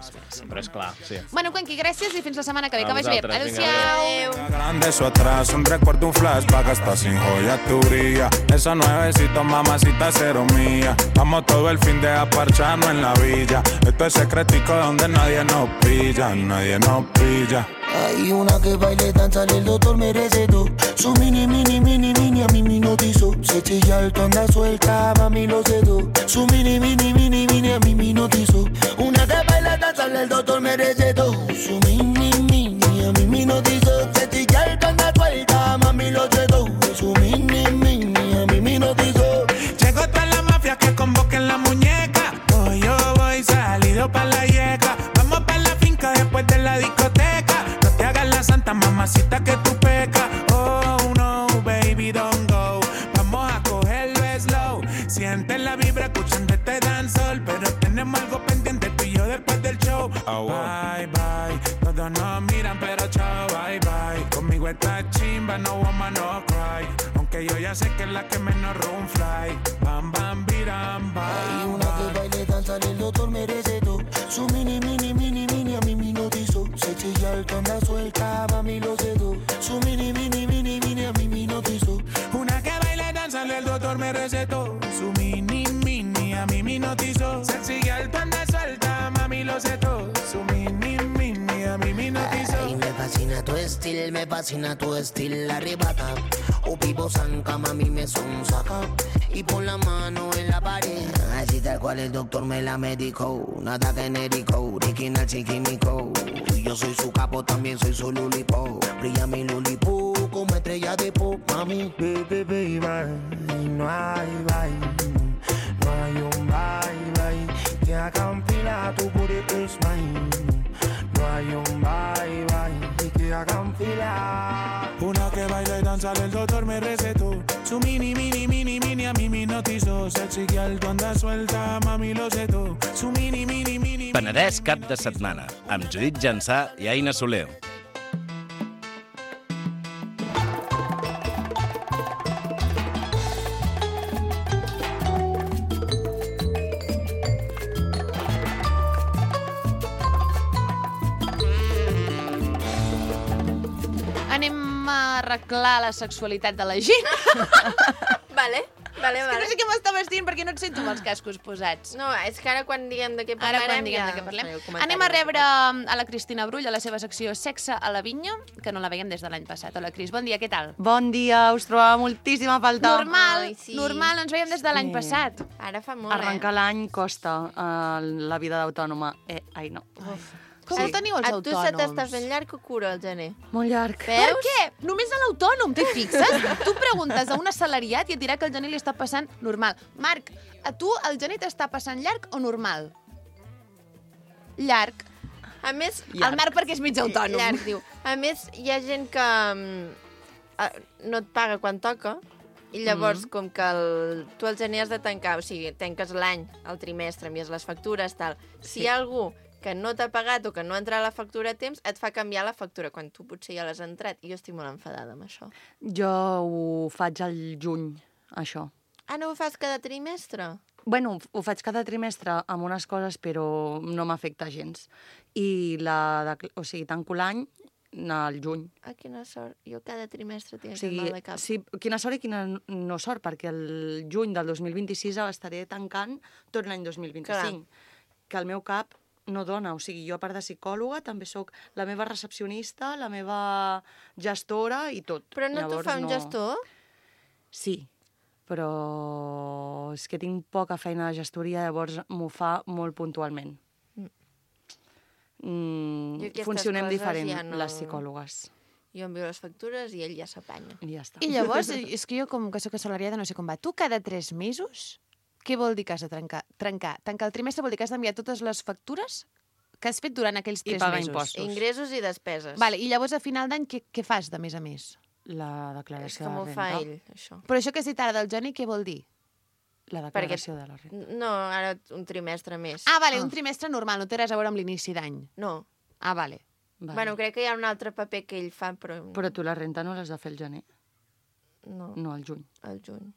Però és clar, sí. Bueno, Cuenqui, gràcies i fins la setmana que ve. A Que vagi bé. vosaltres, vinga, Adéu-siau. Adéu. Grande eso atrás, un recuerdo, un flashback, hasta sin joya tu brilla. Esos nuevecitos, mamacita, cero mía. Vamos todo el fin de a parcharnos en la villa. Esto es secretico donde nadie nos pilla, nadie nos pilla. Hay una que baile, danza, el doctor merece tú. Su mini, mini, mini, mini, a mí me hipnotizó. Se chilla tú andas suelta, mami lo sé tú. Su mini, mini, mini, mini a mí me notizó. Una que baila danzarle el doctor me recetó. Su mini, mini a mí me notizó. Se chilla tú andas suelta, mami lo sé tú. Su mini, mini a mí me notizó. Llegó toda la mafia que convoquen la muñeca. Hoy yo voy salido pa' la yeca. Vamos pa' la finca después de la discoteca. No te hagas la santa mamacita que tú pecas. Oh no, baby, don't go. Vamos a cogerlo slow. Siente la vibra escuchando este dancehall. Pero tenemos algo pendiente tú y yo después del show. Oh, wow. Bye, bye. Todos nos miran pero chao, bye, bye. Conmigo está chimba, no woman, no cry. Aunque yo ya sé que es la que menos room fly. Bam, bam, biram, bam. Hay una que baile danza el doctor me recetó. Su mini, mini, mini, mini a mí me notizó. Se chilla el tonda suelta, mami lo sedó. Su mini, mini, mini, mini a mí me notizó. Una que baile danza el doctor me recetó. Su mini, mini a mí me notizó. Se chilla el tonda suelta, mami lo sedó. Su mini, mini a mí me notizó. Ay, me fascina tu estilo, me fascina tu estilo, arrebata. O vivo zanca, mami me son saca. Y pon la mano en la pared. Así tal cual el doctor me la medicó. Nada genérico, original chiquimico. Yo soy su capo, también soy su lulipo. Brilla mi lulipo como estrella de pop, mami. Baby, baby, bye. No hay bye. No hay un bye, bye. Que haga un pila, tu booty is mine. No hay un bye, bye. Que hagan fila. Una que baila y danza el doctor me recetó. Su mini, mini, mini, mini a mí me notizó. Sexy girl, tu andas suelta, mami lo sé todo. Su mini, mini, mini... Penedès cap de setmana, amb Judit Jansà i Aina Soler. Anem a arreglar la sexualitat de la gent. Vale, vale, És que vale. no sé què m'està vestint perquè no et sento amb els cascos posats. No, és que ara quan diguem de què Ara parlarem... quan diguem ja de què parlem. faré el comentari. Anem a rebre a la Cristina Brull a la seva secció Sexe a la vinya, que no la veiem des de l'any passat. Hola, Cris, bon dia, què tal? Bon dia, us trobava moltíssim a faltar. Normal, Ai, sí. normal, no ens veiem des de l'any Sí. passat. Ara fa molt, Arrencar eh? l'any costa uh, la vida d'autònoma. Eh, ai, no. Com Sí. ho teniu els A tu se t'està autònoms? fent llarg o cura el gener? Molt llarg. Per què? Només a l'autònom, t'hi fixes? Tu preguntes a un assalariat i et dirà que el gener li està passant normal. Marc, a tu el gener t'està passant llarg o normal? Llarg. A més... El Marc perquè és mig autònom. Llarg, diu. A més, hi ha gent que mm, eh, no et paga quan toca i llavors, mm. com que el, tu el gener has de tancar, o sigui, tanques l'any, el trimestre, envies les factures, tal. Si hi ha algú que no t'ha pagat o que no ha entrat la factura a temps, et fa canviar la factura, quan tu potser ja l'has entrat. I jo estic molt enfadada amb això. Jo ho faig al juny, això. Ah, no ho fas cada trimestre? Bueno, ho faig cada trimestre amb unes coses, però no m'afecta gens. I la, de, o sigui, tanco l'any al juny. Ah, quina sort. Jo cada trimestre tinc O sigui, mal de cap. sí, quina sort i quina no sort, perquè el juny del dos mil vint-i-sis estaré tancant tot l'any dos mil vint-i-cinc. Clar. Que el meu cap no dona, o sigui, jo a part de psicòloga també sóc la meva recepcionista, la meva gestora i tot. Però no t'ho Llavors, fa un gestor? Sí, però és que tinc poca feina de gestoria, llavors m'ho fa molt puntualment. Mm, Jo aquestes funcionem coses diferent, ja no- les psicòlogues. Jo envio les factures i ell ja s'apanya. I ja està. I llavors, és que jo com que sóc assalariada no sé com va. Tu cada tres mesos, què vol dir que has de trencar? Trencar. Tancar el trimestre vol dir que has d'enviar totes les factures que has fet durant aquells I tres pagar mesos. impostos. Ingressos i despeses. Vale, i llavors a final d'any què, què fas de més a més? La És declaració com de ho renta. fa ell, això. Però això que has dit ara del gener, què vol dir? La declaració de la renta. No, ara un trimestre més. Ah, vale, un trimestre normal, no té res a veure amb l'inici d'any. No. Ah, vale. Vale. Bueno, crec que hi ha un altre paper que ell fa, però... Però tu la renta no l'has de fer al gener, No, no al juny. al juny.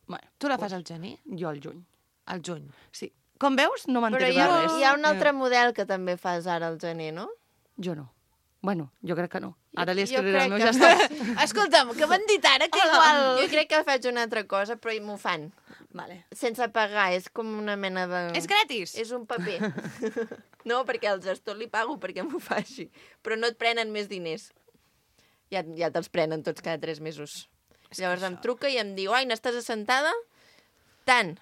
Bueno, Tu la fas al gener? jo al juny. Al juny. Sí. Com veus, no Però m'entero hi de ha, res. hi ha un altre model que també fas ara al gener, no? Jo no. Bueno, jo crec que no. Ara li Jo escriuré al crec meu que- gestor. Escolta'm, que m'han dit ara que igual... Jo crec que faig una altra cosa, però m'ho fan. Vale. Sense pagar, és com una mena de... És gratis? És un paper. No, perquè al gestor li pago perquè m'ho faci. Però no et prenen més diners. Ja, ja te'ls prenen tots cada tres mesos. Llavors em truca i em diu, ai, n'estàs assentada? Tant.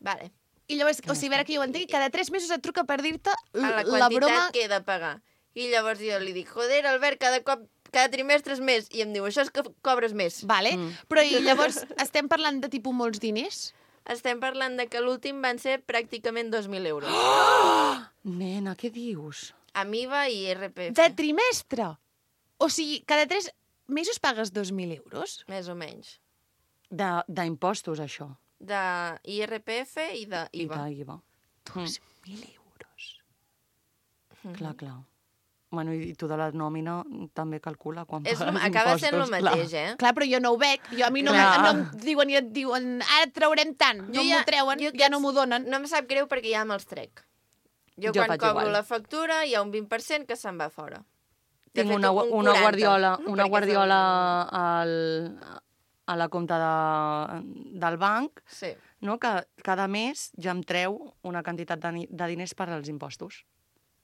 Vale. I llavors, o sigui, a veure que jo ho entenc, cada tres mesos et truca per dir-te A la la quantitat broma... que he de pagar. I llavors jo li dic, joder, Albert, cada cop, cada trimestre és més. I em diu, això és que cobres més. Vale, mm. però i llavors estem parlant de tipus molts diners? Estem parlant de que l'últim van ser pràcticament dos mil euros. Oh! Nena, què dius? Amb I V A i R P F. De trimestre? O sigui, cada tres mesos pagues dos mil euros? Més o menys. D'impostos, això. De I R P F i de I V A. I d'I V A. Dos mil euros. Mm. Clar, clar. Bueno, i tu de la nòmina també calcula quan És, pagues acaba impostos. sent el mateix, clar. eh? Clar, però jo no ho veig. Jo, a mi no, Clar. no em diuen i et diuen ara et traurem tant. No m'ho treuen, jo ja no m'ho donen. No em sap greu perquè ja me'ls trec. Jo, Jo quan faig cobro igual. la factura hi ha un vint per cent que se'n va fora. De Tinc fet, una, un una quaranta, guardiola, una perquè guardiola al, a la compta de, del banc, Sí. no? Que cada mes ja em treu una quantitat de, ni- de diners per als impostos.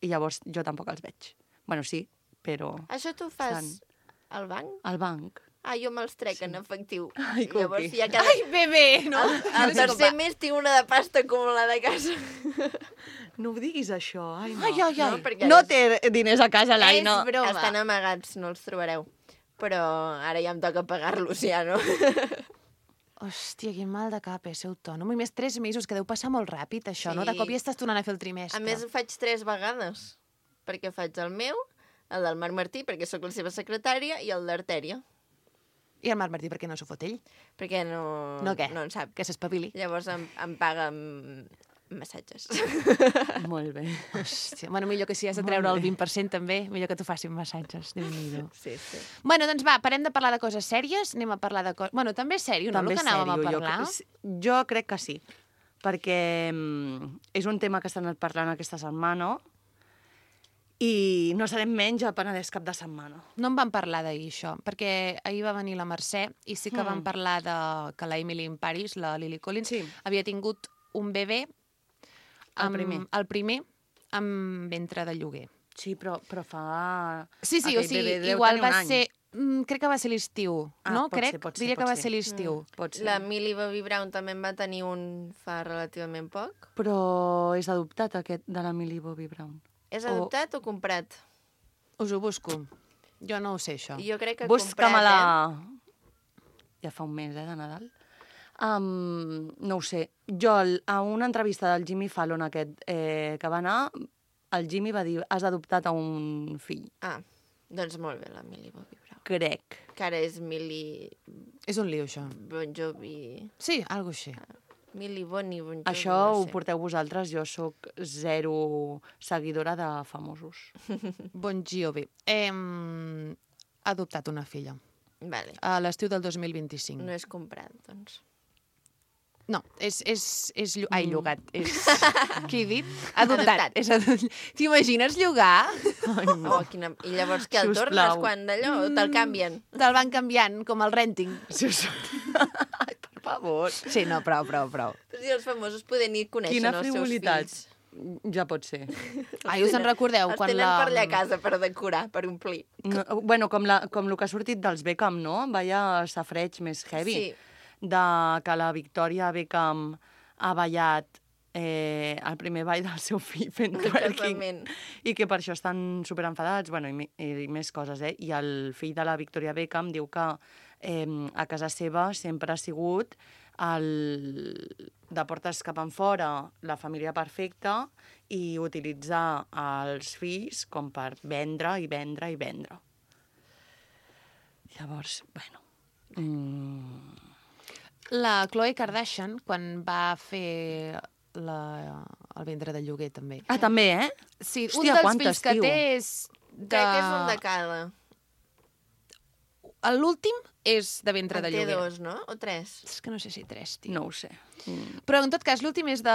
I llavors jo tampoc els veig. Bueno, sí, però Això tu fas Estan- al banc? al banc. Ah, jo me'ls trec en efectiu. Ai, I llavors Coqui. ja cada... Ai, bebè, no? El tercer mes tinc una de pasta acumulada a casa. No ho diguis, això. Ai, no. Ai, ai, ai. No, perquè No és- té diners a casa, l'Aina. És broma. Estan amagats, no els trobareu. Però ara ja em toca pagar-los, ja, no? Hòstia, quin mal de cap, eh, ser autònom. I més tres mesos, que deu passar molt ràpid, això, Sí. no? De cop ja estàs tornant a fer el trimestre. A més, ho faig tres vegades. Perquè faig el meu, el del Marc Martí, perquè sóc la seva secretària, i el d'Artèria, I el Marc Martí, per què no s'ho fot ell? perquè no, No què? no en sap. Que s'espavili. Llavors em, em paga amb massatges. Molt bé. Hòstia, bueno, millor que si has de treure el vint per cent també, millor que t'ho facin massatges. Déu-n'hi-do. Sí, sí. Bueno, doncs va, parem de parlar de coses sèries, anem a parlar de coses... Bueno, també és sèrio, no? També El que és anàvem sèrio, a jo parlar. crec- Jo crec que sí, perquè mm, és un tema que estan parlant aquesta setmana i no serem menys a Penedès cap de setmana. No en vam parlar d'ahir, això, perquè ahir va venir la Mercè i sí que Mm. vam parlar de que la Emily in Paris, la Lily Collins, Sí. havia tingut un bebè... El amb, primer. El primer, amb ventre de lloguer. Sí, però, però fa... Sí, sí, o Aquell sigui, bebè deu igual tenir un va any. ser... Mm, crec que va ser l'estiu, Ah, no? pot Crec, ser, pot ser, diria pot que va ser. ser l'estiu. Pot ser. La Millie Bobby Brown també en va tenir un fa relativament poc. Però és adoptat, aquest, de la Millie Bobby Brown. És O- adoptat o, comprat? Us ho busco. Jo no ho sé, això. Jo crec que Busca-me-la... comprat, Ja fa un mes, eh, de Nadal. Um, no ho sé. Jo, el- a una entrevista del Jimmy Fallon aquest eh, que va anar, el Jimmy va dir, has adoptat a un fill. eh? Ah, doncs molt bé, la Millie Bobby Brown. Crec. Que ara és Millie És un lío, això. Bon Jovi... Sí, algo així. Millie Bonnie Bon Jovi, Això no ho sé. porteu vosaltres, jo sóc zero seguidora de famosos. Bon Jovi. Hem adoptat una filla Vale. a l'estiu del dos mil vint-i-cinc. No és comprat, doncs. No, és... és, és llu... Ai, llogat. És... Què he dit? Adoptat. Adoptat. És adop... T'imagines llogar? Ai, Oh, quina... I llavors què, el Sisplau. tornes quan d'allò? O te'l canvien? Te'l van canviant, com el renting. Si us... Ai, per favor. Sí, no, prou, prou, prou. Però si els famosos poden ir coneixent Quina els seus frivolitat. fills. Ja pot ser. Ai, us en recordeu? Els quan tenen la... per allà a casa per decorar, per omplir. No, bueno, com, la, com el que ha sortit dels Beckham, no? Vaya safreig més heavy. Sí. De que la Victoria Beckham ha ballat eh, el primer ball del seu fill fent El twerking. casament. I que per això estan superenfadats, bueno, i, mi- i més coses, eh? I el fill de la Victoria Beckham diu que eh, a casa seva sempre ha sigut el, de portes cap enfora la família perfecta i utilitzar els fills com per vendre i vendre i vendre. Llavors, bueno... Mm, La Khloe Kardashian, quan va fer la... el ventre de lloguer, també. Ah, també, eh? Sí, Hòstia, un dels quantes, fills que tio. té és... De... Crec que és un de cada. L'últim és de ventre En de té lloguer. dos, no? O tres? És que no sé si tres, tio. No ho sé. Mm. Però, en tot cas, l'últim és de,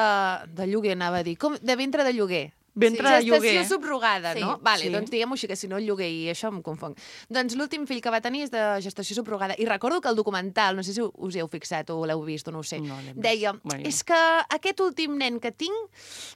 de lloguer, anava a dir. Com? De ventre de lloguer. Ventre Sí. de lloguer. Gestació subrogada, Sí. no? Vale, Sí. doncs diguem-ho així, que si no el lloguer i això em confong. Doncs l'últim fill que va tenir és de gestació subrogada. I recordo que el documental, no sé si us hi heu fixat o l'heu vist o no ho sé, No l'hem vist. deia, Bueno. és que aquest últim nen que tinc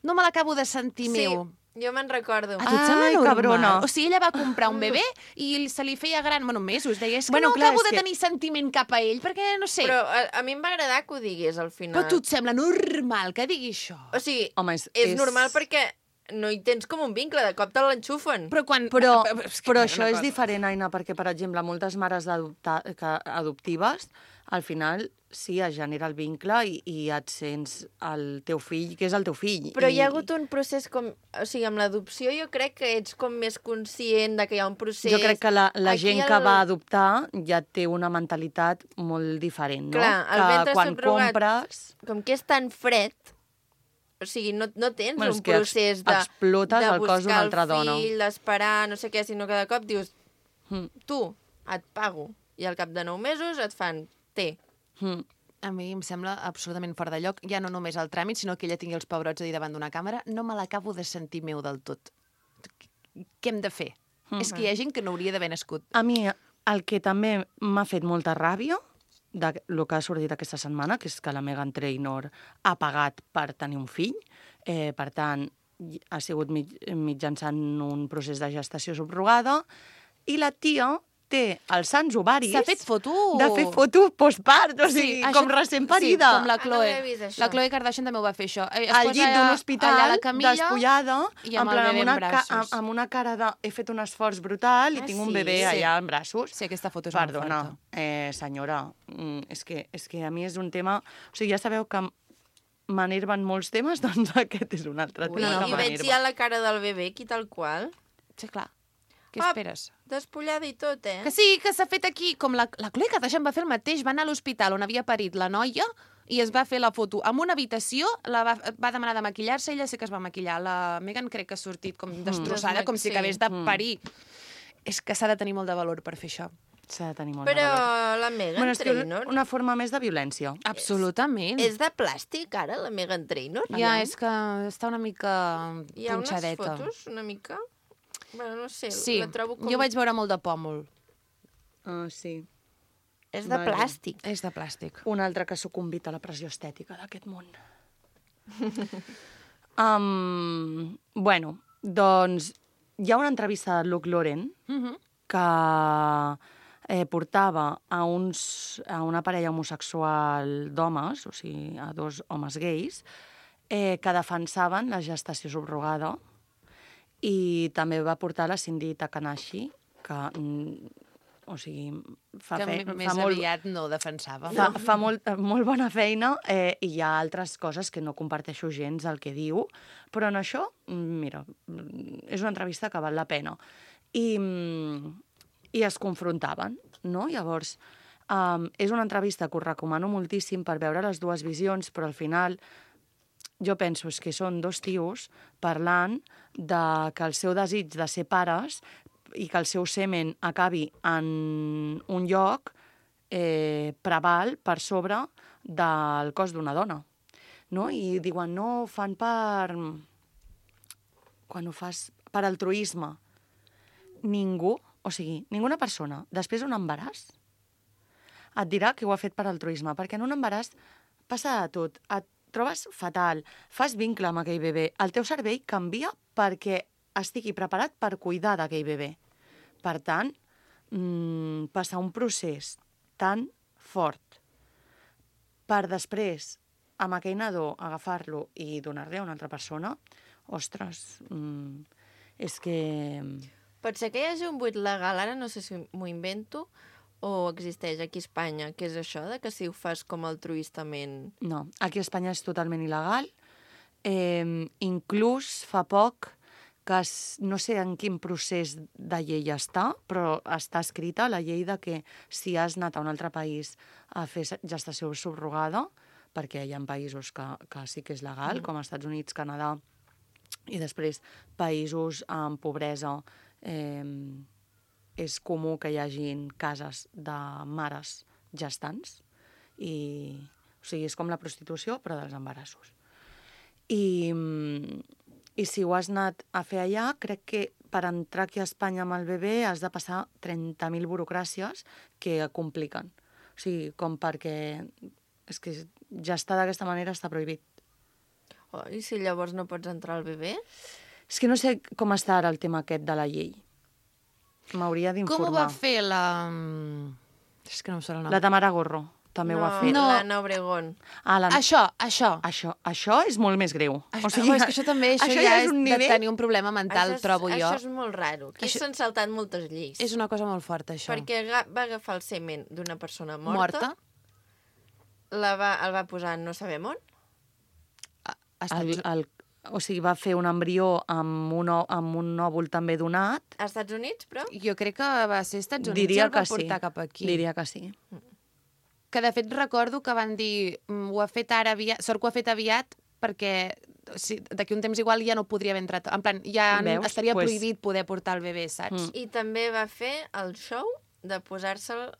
no me l'acabo de sentir Sí. meu. Jo me'n recordo. A tu et sembla Ai, normal? cabrona. O sigui, ella va comprar un bebè i se li feia gran, bueno, mesos. Deia, és que Bueno, no clar, acabo és de que- tenir sentiment cap a ell, perquè, no sé... Però a, a mi em va agradar que ho digués al final. Però a tu et sembla normal que digui això? O sigui, Home, és- és, és- normal perquè no hi tens com un vincle, de cop te l'enxufen. Però quan... Però, és que però una això és cosa. diferent, Aina, perquè, per exemple, moltes mares d'adoptar- que- adoptives, al final, sí, es genera el vincle i, i et sents el teu fill, que és el teu fill. Però I, hi ha hagut un procés com... O sigui, amb l'adopció jo crec que ets com més conscient de que hi ha un procés... Jo crec que la, la Aquí gent el- que va adoptar ja té una mentalitat molt diferent, no? Clar, el que ventre quan subrogat- compres... Com que és tan fred, o sigui, no, no tens Bueno, és un que ex- procés de, explotes de el cos d'una altra buscar el dona. fill, d'esperar, no sé què, sinó que de cop dius, Mm. tu, et pago, i al cap de nou mesos et fan, té. Mm. A mi em sembla absolutament fora de lloc, ja no només el tràmit, sinó que ella tingui els pebrots ahir davant d'una càmera, no me l'acabo de sentir meu del tot. Què hem de fer? Mm. És que hi ha gent que no hauria d'haver nascut. A mi, el que també m'ha fet molta ràbia de lo que ha sortit aquesta setmana, que és que la Meghan Trainor ha pagat per tenir un fill, eh, per tant, ha sigut mig, mitjançant un procés de gestació subrogada, i la tia té els sants ovaris... S'ha fet foto... De fer foto postpart, o sigui, això- com recent parida. Sí, com la Ah, no Chloe. havia vist això. La Chloe Kardashian també ho va fer, això. Eh, Es Al posa llit d'un allà- hospital, allà a la camilla, despullada, i en amb el plan, bebè amb, una en ca braços. amb, amb una cara de... He fet un esforç brutal i Ah, tinc un sí? bebè Sí. allà en braços. Sí, aquesta foto és molt Perdona, forta. eh, senyora, mm, és que, és que a mi és un tema... O sigui, ja sabeu que m'enerven molts temes, doncs aquest és un altre Ui, tema I que veig m'enerva. ja la cara del bebè aquí tal qual. Sí, clar. Què Ah, esperes? Despullada i tot, eh? Que sí, que s'ha fet aquí, com la, la Chloe Kardashian va fer el mateix, va anar a l'hospital on havia parit la noia i es va fer la foto en una habitació, la va, va demanar de maquillar-se, ella sí que es va maquillar. La Meghan crec que ha sortit com destrossada, Desma- com si sí. acabés de Mm. parir. És que s'ha de tenir molt de valor per fer això. S'ha de tenir molt Però de valor. la Meghan Bueno, és que Trainor una forma més de violència. Absolutament. és de plàstic, ara, la Meghan Trainor? Ja, és que està una mica Hi ha unes punxadeta. fotos, una mica... Bueno, no sé, Sí, la trobo com... jo vaig veure molt de pòmul. Uh, sí. És de Vaja. plàstic. És de plàstic. Un altre que ha sucumbit a la pressió estètica d'aquest món. um, bueno, doncs hi ha una entrevista de Luke Lauren Mm -hmm. que eh, portava a, uns, a una parella homosexual d'homes, o sigui, a dos homes gais, eh, que defensaven la gestació subrogada, i també va portar la Cindy Takanashi, que, mm, o sigui, fa, Que fe, m- més fa molt... aviat no defensava. Fa, fa molt, molt bona feina eh, i hi ha altres coses que no comparteixo gens el que diu, però en això, mm, mira, mm, és una entrevista que val la pena. I, mm, i es confrontaven, no? Llavors, um, és una entrevista que us recomano moltíssim per veure les dues visions, però al final jo penso és que són dos tios parlant de que el seu desig de ser pares i que el seu semen acabi en un lloc eh, preval per sobre del cos d'una dona. No? I diuen, no, ho fan per... Quan ho fas per altruisme. Ningú, o sigui, ninguna persona, després d'un embaràs, et dirà que ho ha fet per altruisme, perquè en un embaràs passa de tot. Et trobes fatal, fas vincle amb aquell bebè, el teu cervell canvia perquè estigui preparat per cuidar d'aquell bebè. Per tant, mmm, passar un procés tan fort per després, amb aquell nadó, agafar-lo i donar-li a una altra persona, ostres, mmm, és que... Pot ser que hi hagi un buit legal, ara no sé si m'ho invento, o existeix aquí a Espanya, que és això, de que si ho fas com altruistament... No, aquí a Espanya és totalment il·legal. Eh, inclús fa poc que es, no sé en quin procés de llei està, però està escrita la llei de que si has anat a un altre país a fer gestació subrogada, perquè hi ha països que, que sí que és legal, mm. com als Estats Units, Canadà, i després països amb pobresa, eh, és comú que hi hagin cases de mares gestants, i, o sigui, és com la prostitució, però dels embarassos. I, i si ho has anat a fer allà, crec que per entrar aquí a Espanya amb el bebè has de passar trenta mil burocràcies que compliquen. O sigui, com perquè... És que gestar d'aquesta manera està prohibit. Oh, I si llavors no pots entrar al bebè? És que no sé com està ara el tema aquest de la llei. M'hauria d'informar. Com ho va fer la... És que no em surt el nom. La Tamara Gorro també no, ho ha fet. No. l'Anna Obregón. Ah, la... Això, això. Això, això és molt més greu. Això, o sigui, és que això també això això ja és és un de nivell... tenir un problema mental, això és, trobo jo. Això és molt raro. Aquí Això- s'han saltat moltes lleis. És una cosa molt forta, això. Perquè aga- va agafar el semen d'una persona morta, Morta. La va, el va posar en no sabem on, A El, Estats... el, o sigui, va fer un embrió amb un, o- amb un òvul també donat. als Estats Units, però... Jo crec que va ser Estats Units i Diria el va que sí. portar cap aquí. Diria que sí. Que, de fet, recordo que van dir "Mm, ho ha fet ara aviat, sort que ho ha fet aviat perquè si, d'aquí un temps igual ja no podria haver entrat. En plan, ja Veus? estaria Pues- prohibit poder portar el bebè, saps? Mm. I també va fer el show de posar-se'l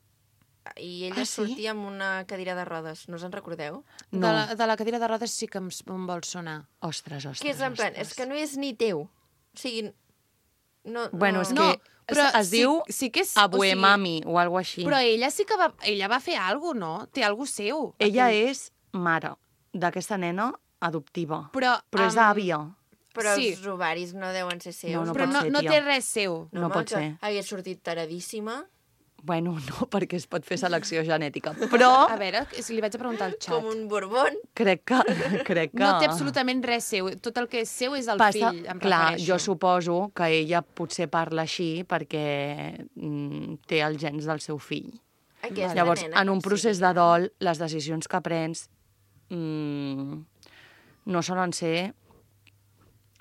i ella Ah, sí? sortia amb una cadira de rodes. No us en recordeu? De, No. la, de la cadira de rodes sí que em, em vol sonar. Ostres, ostres, Que és en plan, ostres. és que no és ni teu. O sigui, no... Bueno, no... és No, que però es sí- diu sí que és- Abue o sigui- Mami o alguna així. Però ella sí que va, ella va fer alguna cosa, no? Té alguna cosa seu. Ella Aquell- és mare d'aquesta nena adoptiva. Però, Però és amb- àvia. Però sí. els ovaris no deuen ser seus. No, no Però pot no, ser, no tia. té res seu. No home, pot que ser. Hagués sortit taradíssima, Bueno, no, perquè es pot fer selecció genètica. Però A veure, si li vaig a preguntar al xat. com un borbón. crec que... Crec que... No té absolutament res seu. Tot el que és seu és el Passa, fill, em clar, refereixo. jo suposo que ella potser parla així perquè mm, té els gens del seu fill. Aquesta Llavors, nena, en un com procés sigui. de dol, les decisions que prens mm, no solen ser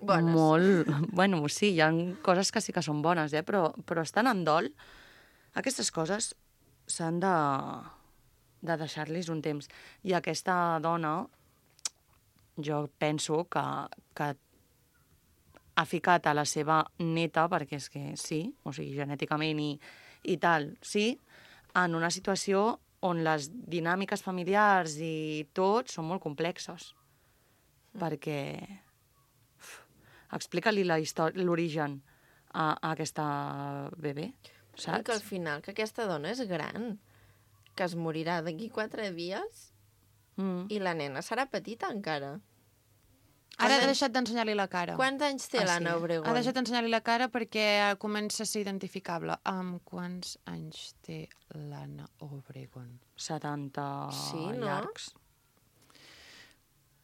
Bones. molt... Bueno, sí, hi ha coses que sí que són bones, eh? però, però estan en dol. Aquestes coses s'han de, de deixar-los un temps. I aquesta dona, jo penso que, que ha ficat a la seva neta, perquè és que sí, o sigui, genèticament i, i tal, sí, en una situació on les dinàmiques familiars i tot són molt complexes. Perquè uf, explica-li la història, l'origen a, a aquesta bebè, I que al saps? final, que aquesta dona és gran, que es morirà d'aquí quatre dies Mm. i la nena serà petita encara. Ara ha deixat d'ensenyar-li la cara. Quants anys té Ah, sí? l'Anna Obregón? Ha deixat d'ensenyar-li la cara perquè comença a ser identificable. Amb quants anys té l'Anna Obregón? setanta Sí, no? llargs.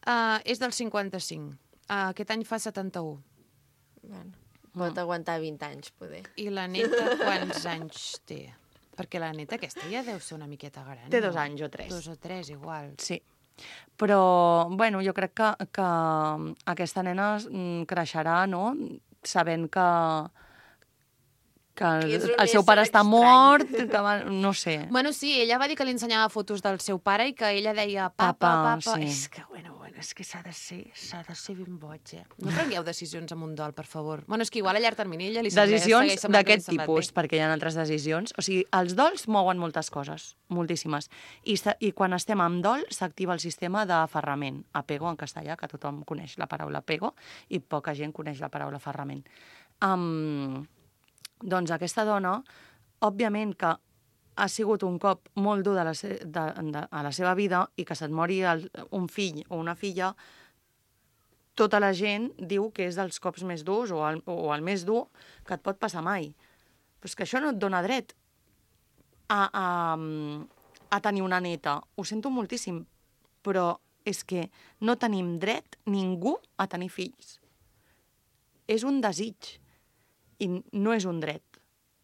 Uh, és del cinquanta-cinc. Uh, aquest any fa setanta-u. Bueno, pot aguantar vint anys, poder. I la neta quants anys té? Perquè la neta aquesta ja deu ser una miqueta gran. Té no? dos anys o tres. Dos o tres, igual. Sí. Però, bueno, jo crec que, que aquesta nena mm, creixerà, no?, sabent que, que el, Que és un el seu ésser pare està estrany. mort, que va, no sé. Bueno, sí, ella va dir que li ensenyava fotos del seu pare i que ella deia papa, Papa, papa... sí. És que, bueno, bueno, és que s'ha de ser, s'ha de ser ben boig, eh? No prengueu decisions amb un dol, per favor. Bueno, és que igual a llarg termini ella li sembla, Decisions segueix semblant que li d'aquest sembla tipus, bé. perquè hi ha altres decisions. O sigui, els dols mouen moltes coses, moltíssimes. I, sa- i quan estem amb dol, s'activa el sistema d'aferrament, apego en castellà, que tothom coneix la paraula apego, i poca gent coneix la paraula aferrament. Um, doncs aquesta dona, òbviament que ha sigut un cop molt dur de la, se de, de, a la seva vida i que se't mori el, un fill o una filla, tota la gent diu que és dels cops més durs o el, o el més dur que et pot passar mai. Però és que això no et dona dret a, a, a tenir una neta. Ho sento moltíssim, però és que no tenim dret ningú a tenir fills. És un desig i no és un dret.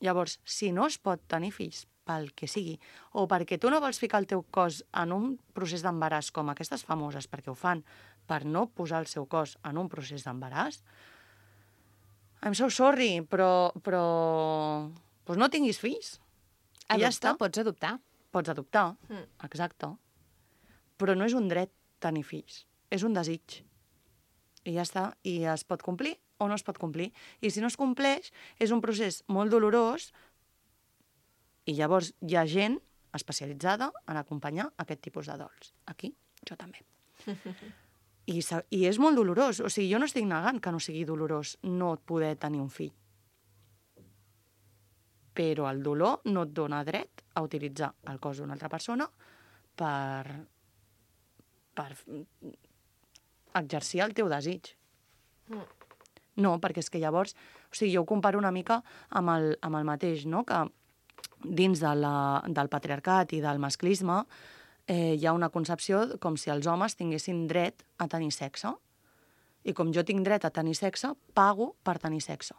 Llavors, si no es pot tenir fills pel que sigui, o perquè tu no vols ficar el teu cos en un procés d'embaràs com aquestes famoses, perquè ho fan per no posar el seu cos en un procés d'embaràs, I'm so sorry, però, però pues no tinguis fills. I ja està. Adopta, pots adoptar. Pots adoptar, Mm. exacte. Però no és un dret tenir fills, és un desig. I ja està, i es pot complir o no es pot complir. I si no es compleix, és un procés molt dolorós i llavors hi ha gent especialitzada en acompanyar aquest tipus de dols. Aquí, jo també. I, sa- I és molt dolorós. O sigui, jo no estic negant que no sigui dolorós no poder tenir un fill. Però el dolor no et dona dret a utilitzar el cos d'una altra persona per, per exercir el teu desig. No, perquè és que llavors, o sigui, jo ho comparo una mica amb el, amb el mateix, no? Que dins de la, del patriarcat i del masclisme eh, hi ha una concepció com si els homes tinguessin dret a tenir sexe. I com jo tinc dret a tenir sexe, pago per tenir sexe.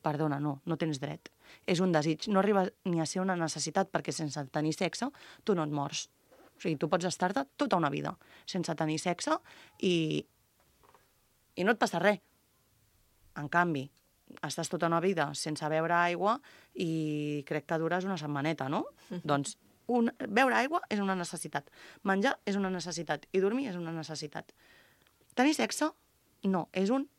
Perdona, no, no tens dret. És un desig. No arriba ni a ser una necessitat, perquè sense tenir sexe tu no et mors. O sigui, tu pots estar-te tota una vida sense tenir sexe i, i no et passa res. En canvi, estàs tota una vida sense beure aigua i crec que dures una setmaneta, no? Doncs un, beure aigua és una necessitat. Menjar és una necessitat. I dormir és una necessitat. Tenir sexe, no. És un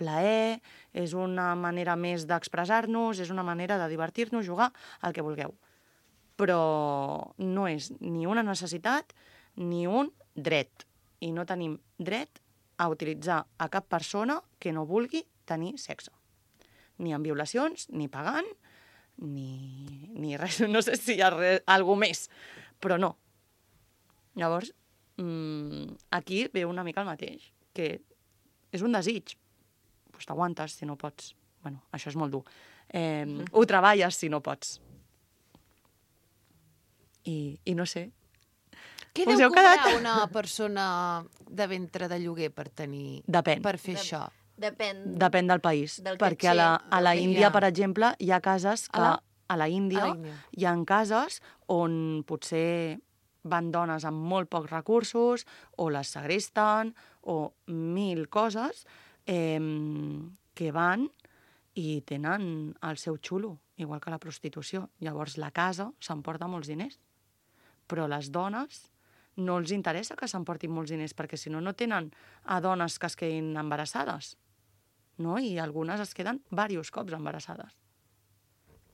plaer, és una manera més d'expressar-nos, és una manera de divertir-nos, jugar, el que vulgueu. Però no és ni una necessitat ni un dret. I no tenim dret a utilitzar a cap persona que no vulgui tenir sexe. Ni en violacions, ni pagant, ni, ni res. No sé si hi ha res, alguna més, però no. Llavors, mmm, aquí ve una mica el mateix, que és un desig. Pues t'aguantes si no pots. Bueno, això és molt dur. Eh, mm. Ho treballes si no pots. I, i no sé. Què Us deu heu cobrar quedat? una persona de ventre de lloguer per tenir... Depèn. Per fer Dep- això? Depèn. Depèn del país. Del perquè a la, a la del que hi Índia, ha. per exemple, hi ha cases que... A la- A la Índia A la Índia. hi ha cases on potser van dones amb molt pocs recursos, o les segresten, o mil coses, eh, que van i tenen el seu xulo, igual que la prostitució. Llavors la casa s'emporta molts diners. Però les dones no els interessa que s'emportin molts diners, perquè si no, no tenen a dones que es quedin embarassades. No? I algunes es queden diversos cops embarassades.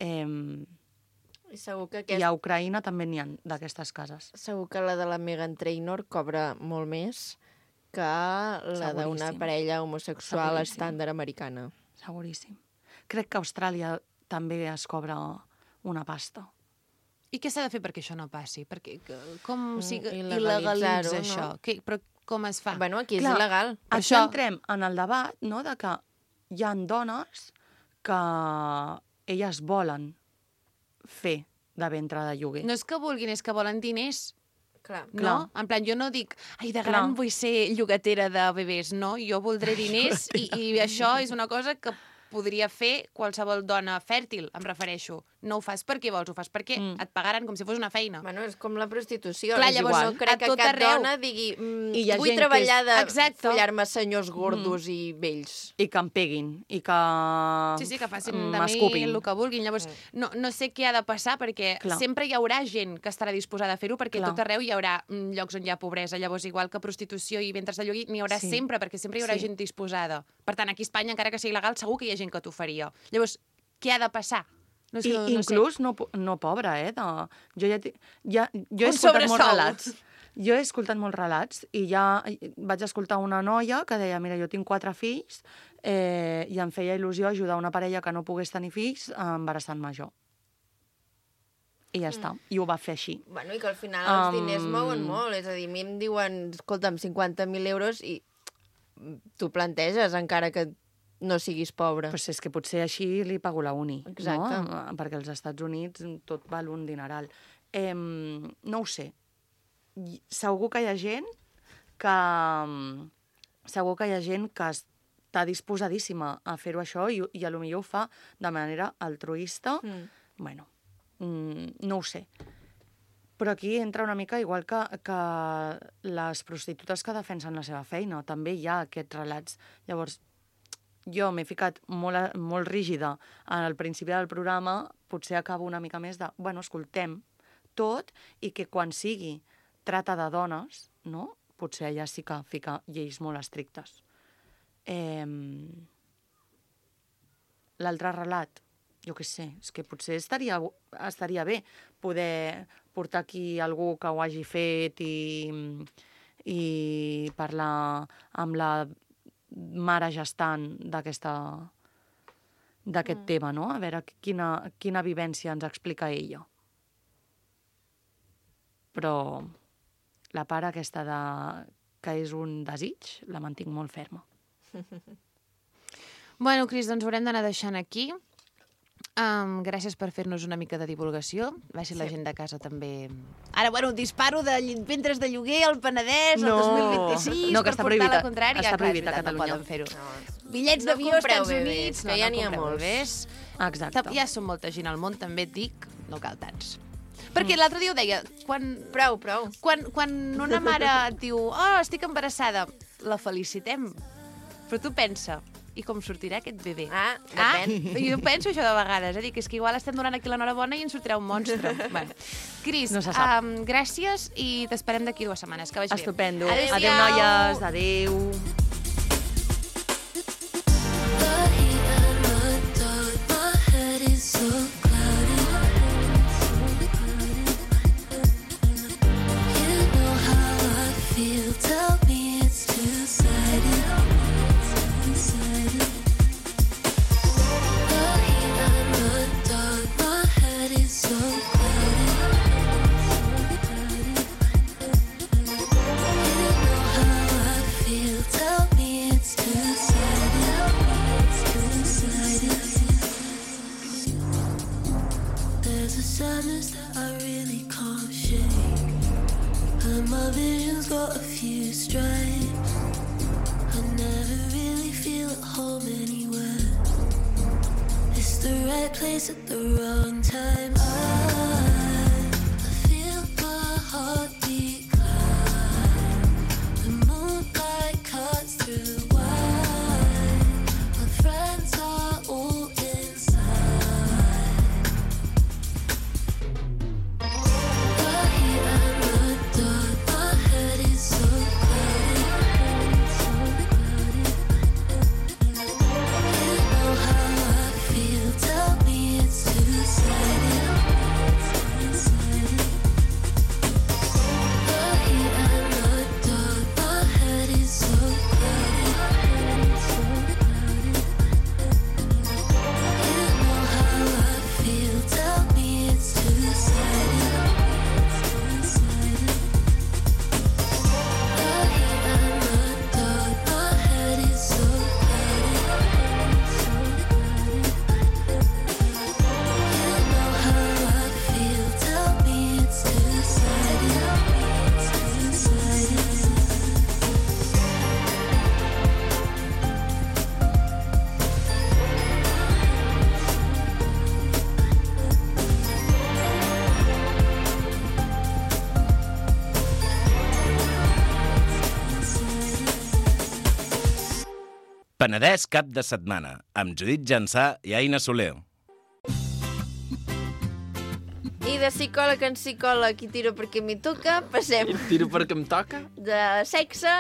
Eh, I segur que, I aquest, a Ucraïna també n'hi ha d'aquestes cases. segur que la de la Meghan Trainor cobra molt més que la d'una Seguríssim. parella homosexual Seguríssim. estàndard americana. Seguríssim. Crec que a Austràlia també es cobra una pasta. I què s'ha de fer perquè això no passi? Perquè, que- com Mm, si il·legalitzar-ho, il·legalitza no? això? Que, però com es fa? Bueno, aquí és Clar, il·legal. Aquí Això- entrem en el debat, no?, de que hi ha dones que elles volen fer de ventre de lloguer. No és que vulguin, és que volen diners. Clar. No? Clar. En plan, jo no dic, ai, de Clar. gran vull ser llogatera de bebès. No, jo voldré diners i, i això és una cosa que podria fer qualsevol dona fèrtil, em refereixo. No ho fas perquè vols, ho fas perquè Mm. et pagaran com si fos una feina. Bueno, és com la prostitució. Clar, és llavors, igual. No crec a que tot cap arreu. dona digui mm, I hi ha vull gent que treballar és- de Exacte. follar-me senyors gordos i vells. I que em peguin, i que Sí, sí, que facin de mi m'escupin. el que vulguin. Llavors, no, no sé què ha de passar, perquè Clar. sempre hi haurà gent que estarà disposada a fer-ho, perquè Clar. tot arreu hi haurà mm, llocs on hi ha pobresa. Llavors, igual que prostitució i ventres de lloguer, n'hi haurà Sí. sempre, perquè sempre hi haurà Sí. gent disposada. Per tant, aquí a Espanya, encara que sigui il·legal, segur que hi ha gent que t'ho faria. Llavors, què ha de passar? No sé, I no, no inclús sé. no, po- no pobra, eh? De... Jo, ja, ti- ja, jo he Un escoltat molts sobresou. relats. Jo he escoltat molts relats i ja vaig escoltar una noia que deia, mira, jo tinc quatre fills eh, i em feia il·lusió ajudar una parella que no pogués tenir fills embarassant-me jo. I ja està. I ho va fer així. Bueno, i que al final els Um, diners mouen molt. És a dir, a mi em diuen, escolta'm, cinquanta mil euros i tu planteges, encara que no siguis pobre. Pues és que potser així li pago la uni, Exacte. no? Perquè als Estats Units tot val un dineral. Eh, no ho sé. I- Segur que hi ha gent que... Segur que hi ha gent que està disposadíssima a fer-ho això i, i a lo millor ho fa de manera altruista. Mm. Bueno, mm, no ho sé. Però aquí entra una mica igual que, que les prostitutes que defensen la seva feina. També hi ha aquests relats. Llavors, jo m'he ficat molt, molt rígida al principi del programa, potser acabo una mica més de, bueno, escoltem tot i que quan sigui trata de dones, no? Potser allà sí que fica lleis molt estrictes. Eh, L'altre relat, jo què sé, és que potser estaria, estaria bé poder portar aquí algú que ho hagi fet i, i parlar amb la mare gestant d'aquesta d'aquest mm. tema, no? A veure quina, quina vivència ens explica ella. Però la part aquesta de que és un desig, la mantinc molt ferma. Bueno, Cris, doncs ho haurem d'anar deixant aquí. Um, gràcies per fer-nos una mica de divulgació. Va ser sí. la gent de casa també... Ara, bueno, disparo de ventres de lloguer al Penedès no. el dos mil vint-i-sis no, que per portar la contrària. Està prohibit Clar, a Catalunya. No poden fer-ho. No. Bitllets No d'avió als compreu Estats bebès, Units. que No, ja no n'hi ha compreu molts. bebès. Exacte. Ja són molta gent al món, també et dic, no cal tants. Perquè l'altre dia ho deia, quan, Prou, prou. quan, quan una mare et diu oh, estic embarassada, la felicitem. Però tu pensa, i com sortirà aquest bebè? Ah, depèn. Ah, jo penso això de vegades, eh? Dic, és que igual estem donant aquí l'enhorabona i ens sortirà un monstre. bueno. Cris, No se sap. um, gràcies i t'esperem d'aquí dues setmanes. Que vagi bé. Estupendo. Adéu-siau. Adéu, noies. Adéu. There's a sadness that I really can't shake, and my vision's got a few stripes. I never really feel at home anywhere. It's the right place at the wrong time. I, I feel my heartbeat climb. The moonlight cuts through wine. My friends are all inside. Penedès cap de setmana, amb Judit Jansà i Aina Soler. I de psicòleg en psicòleg i tiro perquè m'hi toca, passem Tiro perquè em toca. de sexe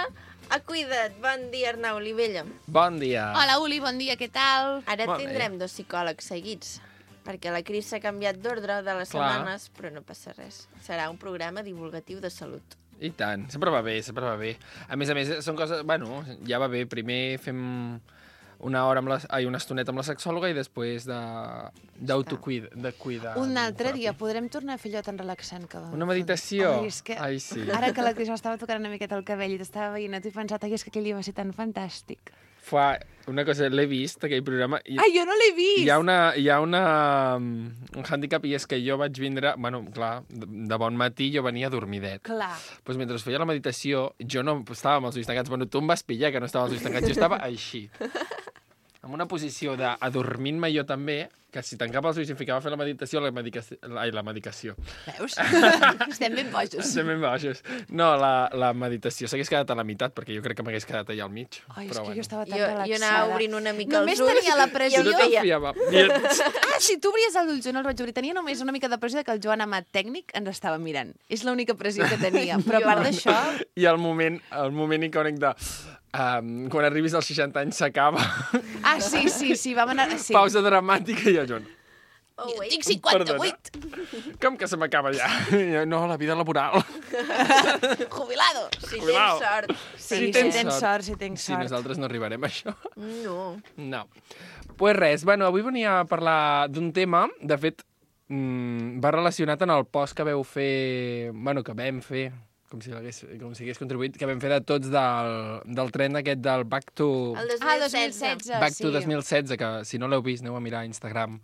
a cuida't. Bon dia, Arnau Olivella. Bon dia. Hola, Uli, bon dia, què tal? Ara Bon tindrem dos psicòlegs seguits, perquè la Cris s'ha canviat d'ordre de les Clar. setmanes, però no passa res. Serà un programa divulgatiu de salut. I tant, sempre va bé, sempre va bé. A més a més, són coses... Bueno, ja va bé. Primer fem una hora amb la... Ai, una estoneta amb la sexòloga i després de... d'autocuidar. De cuidar. Un altre dia podrem tornar a fer allò tan relaxant que... Una meditació? Ai, és que... Ai, sí. Ara que la Cris m'estava tocant una miqueta el cabell i t'estava veient, t'he pensat, ai, és que aquell dia va ser tan fantàstic. Fa una cosa, l'he vist, aquell programa. I Ai, jo no l'he vist! Hi ha, una, hi ha una, un hàndicap i és que jo vaig vindre... Bueno, clar, de, de bon matí jo venia dormidet. Clar. Doncs mentre feia la meditació, jo no estava amb els ulls tancats. Bueno, tu em vas pillar que no estava amb els ulls tancats. Jo estava així. En una posició d'adormint-me jo també, que si tancava els ulls i em ficava a fer la meditació, la medicació... Ai, la medicació. Veus? Estem ben bojos. Estem ben baixos. No, la, la meditació s'hagués quedat a la meitat, perquè jo crec que m'hagués quedat allà al mig. Ai, és Però, que bueno. jo estava tan Jo, relaxada. jo anava obrint una mica Només els ulls. tenia la pressió. i em Jo feia... confiava. I- Ah, si tu obries els ulls, jo no els vaig obrir. Tenia només una mica de pressió de que el Joan Amat tècnic ens estava mirant. És l'única pressió que tenia. Però a part d'això... I el moment, el moment icònic de... Um, quan arribis als seixanta anys s'acaba. Ah, sí, sí, sí, vam anar... Sí. Pausa dramàtica i jo, Joan. Oh, Jo wait. tinc cinquanta-vuit. Com que se m'acaba ja? I jo, no, la vida laboral. Jubilado. Si Cuidao. tens sort. Sí, Si si tens tens sort. sort, si tens Sí, sort. nosaltres no arribarem a això. No. No. Pues res, bueno, avui venia a parlar d'un tema, de fet, mmm, va relacionat en el post que veu fer... Bueno, que vam fer, com si, hagués, com si hagués contribuït, que vam fer de tots del, del tren aquest del Back to... El dos Ah, mil dos mil setze. setze, Back sí. to dos mil setze, que si no l'heu vist, aneu a mirar a Instagram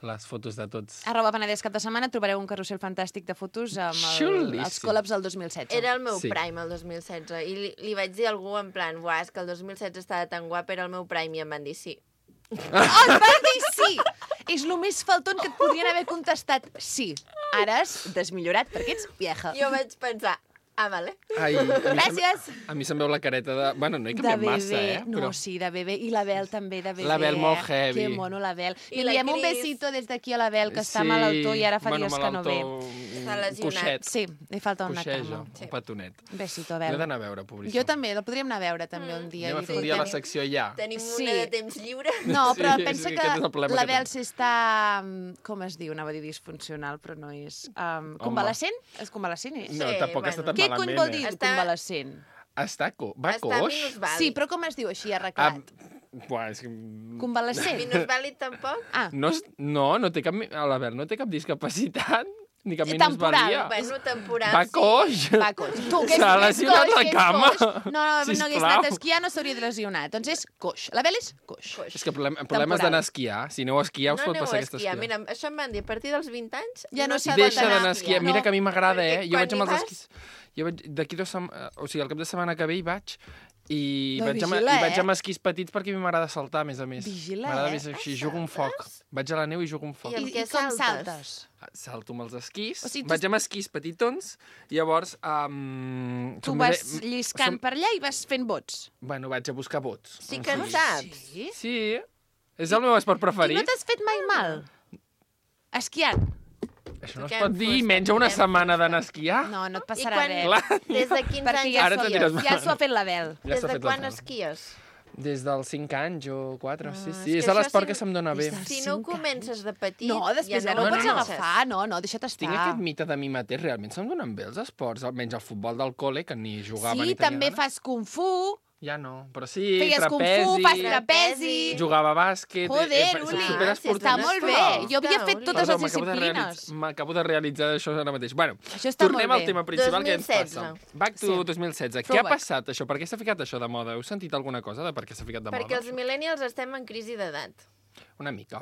les fotos de tots. Arroba Penedès cap de setmana trobareu un carrusel fantàstic de fotos amb el, Xulíssim. els col·labs del dos mil setze. Era el meu Sí. prime, el dos mil setze, i li, li vaig dir a algú en plan, buah, és que el dos mil setze estava tan guap, era el meu prime, i em van dir sí. Oh, et van dir sí! És el més falton que et podrien haver contestat sí. Ara has desmillorat perquè ets vieja. Jo vaig pensar, ah, vale. Ai, a mi Gràcies! Se'm, a mi se'm veu la careta de... Bueno, no he De canviat bebè. massa, eh? No, sí, de bebè. I la Bel també, de bebè. La Bel molt eh? heavy. Que mono, la Bel. I I la li enviem un Cris. besito des d'aquí a la Bel, que està malaltó i ara fa bueno, dies que no ve. Està lesionat. Coixet. Sí, li falta una Coixeja, cama. Sí. un petonet. Un besito, L'he Bel. d'anar a veure, pobríssim. Jo també, el podríem anar a veure també un dia. Anem a i fer un dir- dia a la secció ja. Tenim Sí. una de temps lliure. No, però Sí, pensa sí, que aquest és el problema la que Bel tenim. s'està... mm, Com es diu? Anava a dir disfuncional, però no és... Um, convalescent? És convalescent, és? No, Sí, tampoc està bueno. tan Què cony malament, vol eh? dir Està- convalescent? Està, co va Està coix? minusvàlid. Sí, però com es diu així, Ah, arreglat? buah, és que... Convalescent? Minusvàlid tampoc? Ah, No, és- no, no té cap... mi- A la Bel no té cap discapacitat, ni cap Eh, temporal, minusvalia. Bueno, temporal, Va sí. coix. va coix. Tu, que és, S'ha és lesionat coix, la que és cama. coix. No, no, no hagués Sisplau. anat a esquiar, no s'hauria de lesionar. Doncs és coix. La Bel és coix. Coix. És que problem, problemes d'anar a esquiar. Si aneu a esquiar, us No pot aneu passar a aquesta esquiar. esquiar. Mira, això em van dir, a partir dels vint anys Ja no s'hi s'ha pot Deixa anar d'anar a a esquiar. esquiar. Mira que a mi m'agrada, Perquè eh? Jo quan vaig amb hi els vas- esquís... Jo vaig d'aquí dos setmanes... O sigui, al cap de setmana que ve hi vaig i, No, vaig, amb, vigila, i vaig eh? amb esquís petits perquè a mi m'agrada saltar, a més a més. Vigila, M'agrada eh? més així, jugo un foc. Vaig a la neu i jugo un foc. I amb I, què i com saltes? saltes? Salto amb els esquís, O sigui, tu- vaig amb esquís petitons, i llavors... Um, Tu som vas més- lliscant som- per allà i vas fent bots. Bueno, vaig a buscar bots. Sí que en saps. Sí? Sí, és el meu esport I preferit. no t'has fet mai mal? Esquiant? Això no es Què pot em dir, fos, menys una què em setmana d'anar a esquiar. No, no et I passarà quan, res. Clar. des de quins Perquè anys ja, Ara s'ho- te diràs ja mal. s'ho ha fet la Bel. Ja Des s'ha de fet quan la feina. esquies? Des dels cinc anys o quatre, sí, Ah, sí. és És que a això l'esport sí- que se'm dona bé. Des de Si no ho cinc comences de petit... No, després ja, ja no, no ho pots comences. agafar, no, no, deixa't estar. Tinc aquest mite de mi mateix, realment se'm donen bé els esports, almenys el futbol del col·le, que ni jugava Sí, ni tenia també ganes. fas kung fu, Ja no, però sí, feies kung trapezi, fu, fas trapezi... jugava a bàsquet... Joder, eh, eh, Uli, superesportista. està molt bé. Jo havia fet totes Perdó, les m'acabo de disciplines. realitz- M'acabo de realitzar això ara mateix. Bueno, Això està tornem molt al bé. tema principal que ens dos mil setze. passa. Back to Sí. dos mil setze. Què ha Throwback. passat, això? Per què s'ha ficat això de moda? Heu sentit alguna cosa de per què s'ha ficat de Perquè moda? els millennials estem en crisi d'edat. Una mica.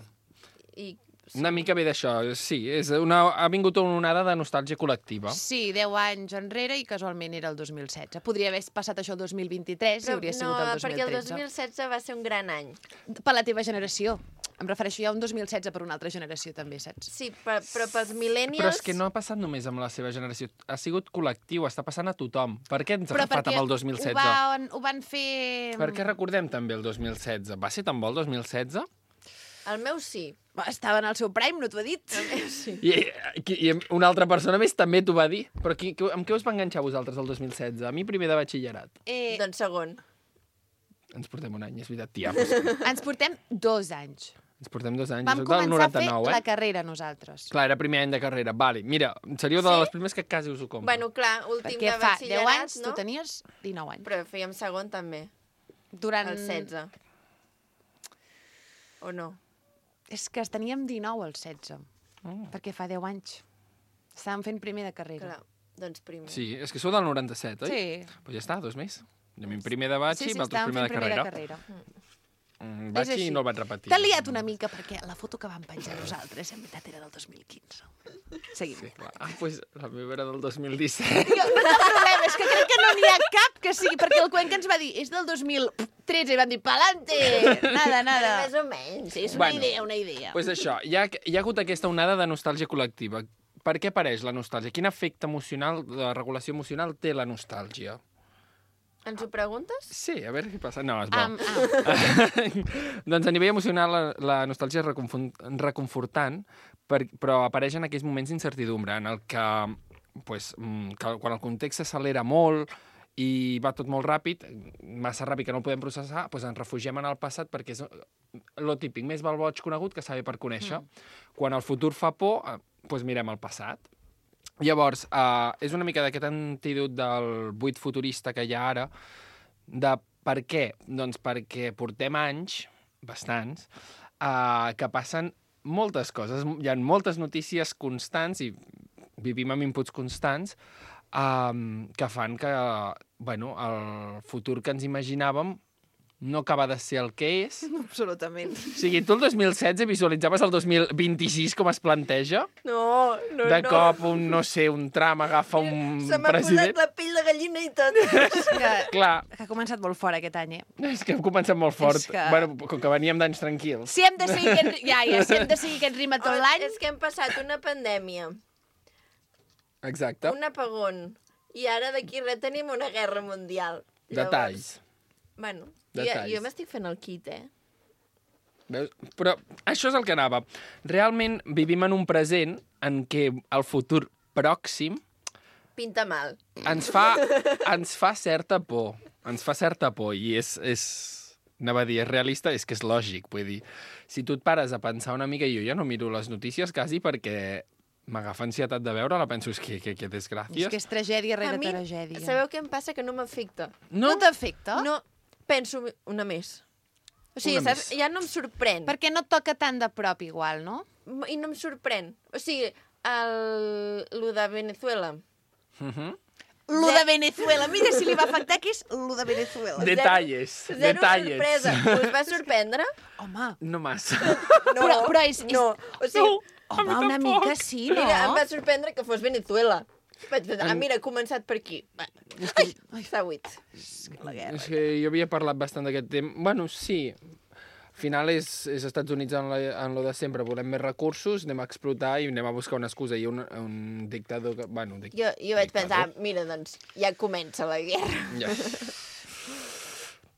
I Una mica ve d'això, sí. És una, ha vingut una onada de nostàlgia col·lectiva. Sí, deu anys enrere i casualment era el dos mil setze. Podria haver passat això el dos mil vint-i-tres i Però hauria no, sigut el dos mil perquè el tretze. dos mil setze va ser un gran any. Per la teva generació. Em refereixo ja a un dos mil setze per una altra generació, també, saps? Sí, però, però pels millennials... Però és que no ha passat només amb la seva generació. Ha sigut col·lectiu, està passant a tothom. Per què ens ha Però agafat perquè amb el dos mil setze? Ho van, ho van fer... Per què recordem també el dos mil setze? Va ser tan bo el dos mil setze? El meu sí. Va, estava en el seu prime, no t'ho he dit? El meu sí. I, i, I una altra persona més també t'ho va dir. Però qui, qui, amb què us va enganxar vosaltres el dos mil setze? A mi primer de batxillerat. Eh, Doncs segon. Ens portem un any, és veritat, tia. Doncs, ens portem dos anys. ens portem dos anys. Vam Jo soc del començar a fer noranta-nou, eh? la carrera nosaltres. Clar, era primer any de carrera. Vale, mira, seríeu de Sí? les primers que quasi us ho compro. Bueno, clar, últim Perquè de fa batxillerat, deu anys, no? tu tenies dinou anys. Però fèiem segon també, Durant... el setze. O no? És que teníem dinou al setze, Oh. perquè fa deu anys. Estàvem fent primer de carrera. Clar, doncs primer. Sí, és que sou del noranta-set, oi? Sí. Pues ja està, dos més. A mi primer de batxi Sí, i sí, vosaltres estàvem primer fent de primer carrera. de carrera. Mm, És batxi així. i no el vaig repetir. T'ha liat una mica perquè la foto que vam penjar nosaltres en veritat era del dos mil quinze. Seguim. Sí, clar. Ah, pues la meva era del dos mil disset. Jo, no té problema, és que crec que no n'hi ha cap que sigui, perquè el Cuenca ens va dir, és del dos mil tretze, i vam dir, pa'lante, nada, Però nada. més o menys. És una Bueno. idea, una idea. Pues això, hi ha, hi ha hagut aquesta onada de nostàlgia col·lectiva. Per què apareix la nostàlgia? Quin efecte emocional, de regulació emocional té la nostàlgia? Ens ho preguntes? Sí, a veure què passa. No, és bo. Am, am. Doncs a nivell emocional la, la nostàlgia és reconfon- reconfortant, per, però apareix en aquells moments d'incertidumbre en el que, pues, mm, que quan el context s'accelera molt i va tot molt ràpid, massa ràpid que no el podem processar, doncs ens refugiem en el passat perquè és lo típic, més val boig conegut que saber per conèixer. Mm. Quan el futur fa por, eh, doncs mirem el passat. Llavors, eh, és una mica d'aquest antídot del buit futurista que hi ha ara, de per què? Doncs perquè portem anys, bastants, eh, que passen moltes coses. Hi ha moltes notícies constants i vivim amb inputs constants um, que fan que, bueno, el futur que ens imaginàvem no acaba de ser el que és. Absolutament. O sigui, tu el dos mil setze visualitzaves el dos mil vint-i-sis com es planteja? No, no, de no. cop, un, no sé, un tram agafa un Se m'ha president. posat la pell de gallina i tot. Que, Clar, que ha començat molt fort aquest any, eh? és que hem començat molt fort. És que- Bueno, com que veníem d'anys tranquils. Si hem de seguir aquest, ja, ja, si hem de seguir aquest ritme tot l'any... És que hem passat una pandèmia, Exacte. un apagón, i ara d'aquí res tenim una guerra mundial. Detalls. Bueno, jo, Detalls. jo m'estic fent el kit, eh? Veus? Però això és el que anava. Realment vivim en un present en què el futur pròxim Pinta mal. ens fa, ens fa certa por. Ens fa certa por i és, és... Anava a dir, és realista, és que és lògic. Vull dir, si tu et pares a pensar una mica, jo ja no miro les notícies quasi perquè m'agafa ansietat de veure-la, penso, és que, que, que desgràcies. És que és tragèdia A rere mi, tragèdia. sabeu què em passa? Que no m'afecta. No? No t'afecta? No, penso una més. O sigui, Una saps? més. Ja no em sorprèn. Perquè no et toca tant de prop igual, no? I no em sorprèn. O sigui, el... lo de Venezuela. Uh -huh. Lo de Venezuela. Mira si li va afectar, que és lo de Venezuela. Detalles. Zero Detalles. sorpresa. Us va sorprendre? Home, No massa. No, Però- però és- és- no. O sigui, home, una mica sí, no? mira, em va sorprendre que fos Venezuela. Vaig pensar, ah, mira, ha començat per aquí. Va, ai, ai, s'ha buit. La guerra. És que jo havia parlat bastant d'aquest tema. Bueno, sí. Al final és, és Estats Units en, la, en lo de sempre. Volem més recursos, anem a explotar i anem a buscar una excusa. Hi ha un, un dictador... Que, bueno, un dic... Jo, jo vaig pensar, dictador. mira, doncs, ja comença la guerra. Ja.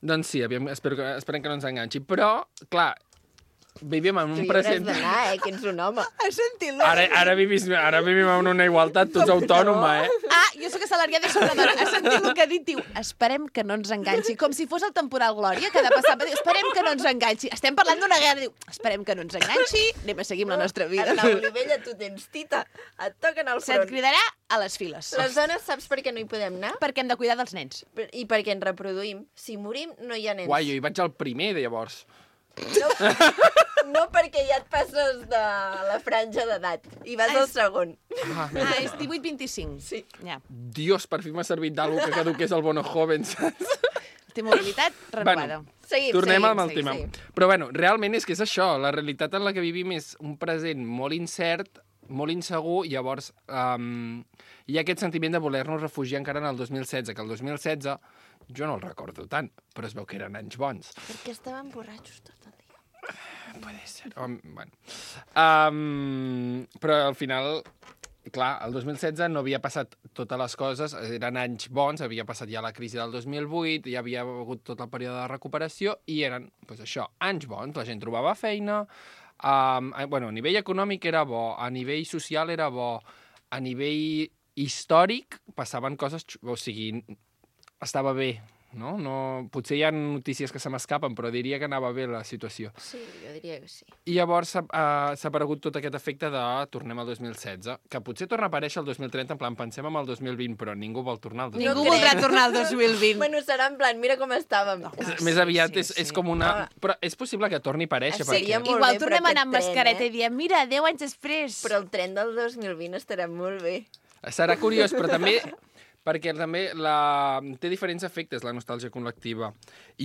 Doncs sí, aviam, espero que, esperem que no ens enganxi. Però, clar, vivim en Tu un hi hauràs present... d'anar, eh, que ets un home. Has sentit-lo? Ara, ara, vivis, ara vivim en una igualtat, tu ets autònoma, eh? Ah, jo sóc assalariada i soc una dona. Has sentit el que ha dit? Diu, esperem que no ens enganxi. Com si fos el temporal Glòria, que ha de passar. Diu, esperem que no ens enganxi. Estem parlant d'una guerra. Diu, esperem que no ens enganxi. Anem a seguir amb la nostra vida. Arnau Olivella, tu tens tita. Et toquen al Se't front. cridarà a les files. Les dones, saps per què no hi podem anar? Perquè hem de cuidar dels nens. Per- I perquè ens reproduïm. Si morim, no hi ha nens. Guai, jo hi vaig al primer, de llavors. No, no perquè ja et passes de la franja d'edat. I vas Ai, al segon. Ah, Ah, és divuit vint-i-cinc. Sí. Ja. Dios, per fi m'ha servit d'algú que caduqués el Bono Joven, saps? Té mobilitat renovada. Bueno, Seguim, Tornem seguim, amb el seguim, tema. seguim. Però bueno, realment és que és això. La realitat en la que vivim és un present molt incert, molt insegur, i llavors um, hi ha aquest sentiment de voler-nos refugiar encara en el dos mil setze, que el dos mil setze jo no el recordo tant, però es veu que eren anys bons. Perquè estaven borratxos tot el dia. Puede ser. Um, bueno. Um, però al final, clar, el dos mil setze no havia passat totes les coses, eren anys bons, havia passat ja la crisi del dos mil vuit, hi havia hagut tot el període de recuperació i eren, doncs això, anys bons, la gent trobava feina, um, bueno, a nivell econòmic era bo, a nivell social era bo, a nivell històric passaven coses, o sigui, estava bé, no? no potser hi ha notícies que se m'escapen, però diria que anava bé la situació. Sí, jo diria que sí. I llavors s'ha uh, s'ha aparegut tot aquest efecte de tornem al dos mil setze, que potser torna a aparèixer el dos mil trenta, en plan, pensem en el dos mil vint, però ningú vol tornar al dos mil vint. Ningú crec. voldrà tornar al dos mil vint. Bueno, serà en plan, mira com estàvem. És- Més aviat sí, és, és sí. com una... Ah. Però és possible que torni a aparèixer, Seria perquè... molt Igual bé, però tornem a anar amb aquest tren, mascareta eh? i diem, mira, deu anys després. Però el tren del dos mil vint estarà molt bé. Serà curiós, però també... Perquè també la... té diferents efectes, la nostàlgia col·lectiva.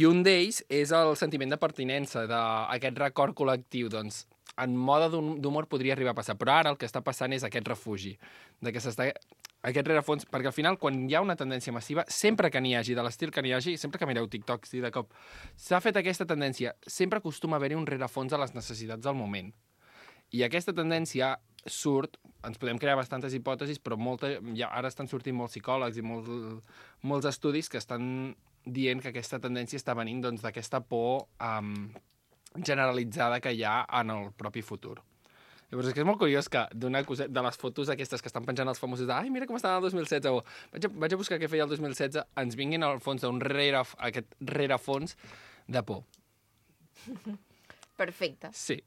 I un d'ells és el sentiment de pertinença, d'aquest record col·lectiu. Doncs, en mode d'hum- d'humor podria arribar a passar. Però ara el que està passant és aquest refugi. De que s'està... Aquest rerefons... Perquè al final, quan hi ha una tendència massiva, sempre que n'hi hagi, de l'estil que n'hi hagi, sempre que mireu TikToks i de cop s'ha fet aquesta tendència, sempre acostuma a haver-hi un rerefons a les necessitats del moment. I aquesta tendència surt, ens podem crear bastantes hipòtesis, però molta, ja, ara estan sortint molts psicòlegs i molts, molts estudis que estan dient que aquesta tendència està venint doncs, d'aquesta por um, generalitzada que hi ha en el propi futur. Llavors, és que és molt curiós que d'una cosa, de les fotos aquestes que estan penjant els famosos de ai, mira com estava el dos mil setze, o vaig a, vaig a buscar què feia el dos mil setze, ens vinguin al fons d'un rere, aquest rerefons de por. Perfecte. Sí.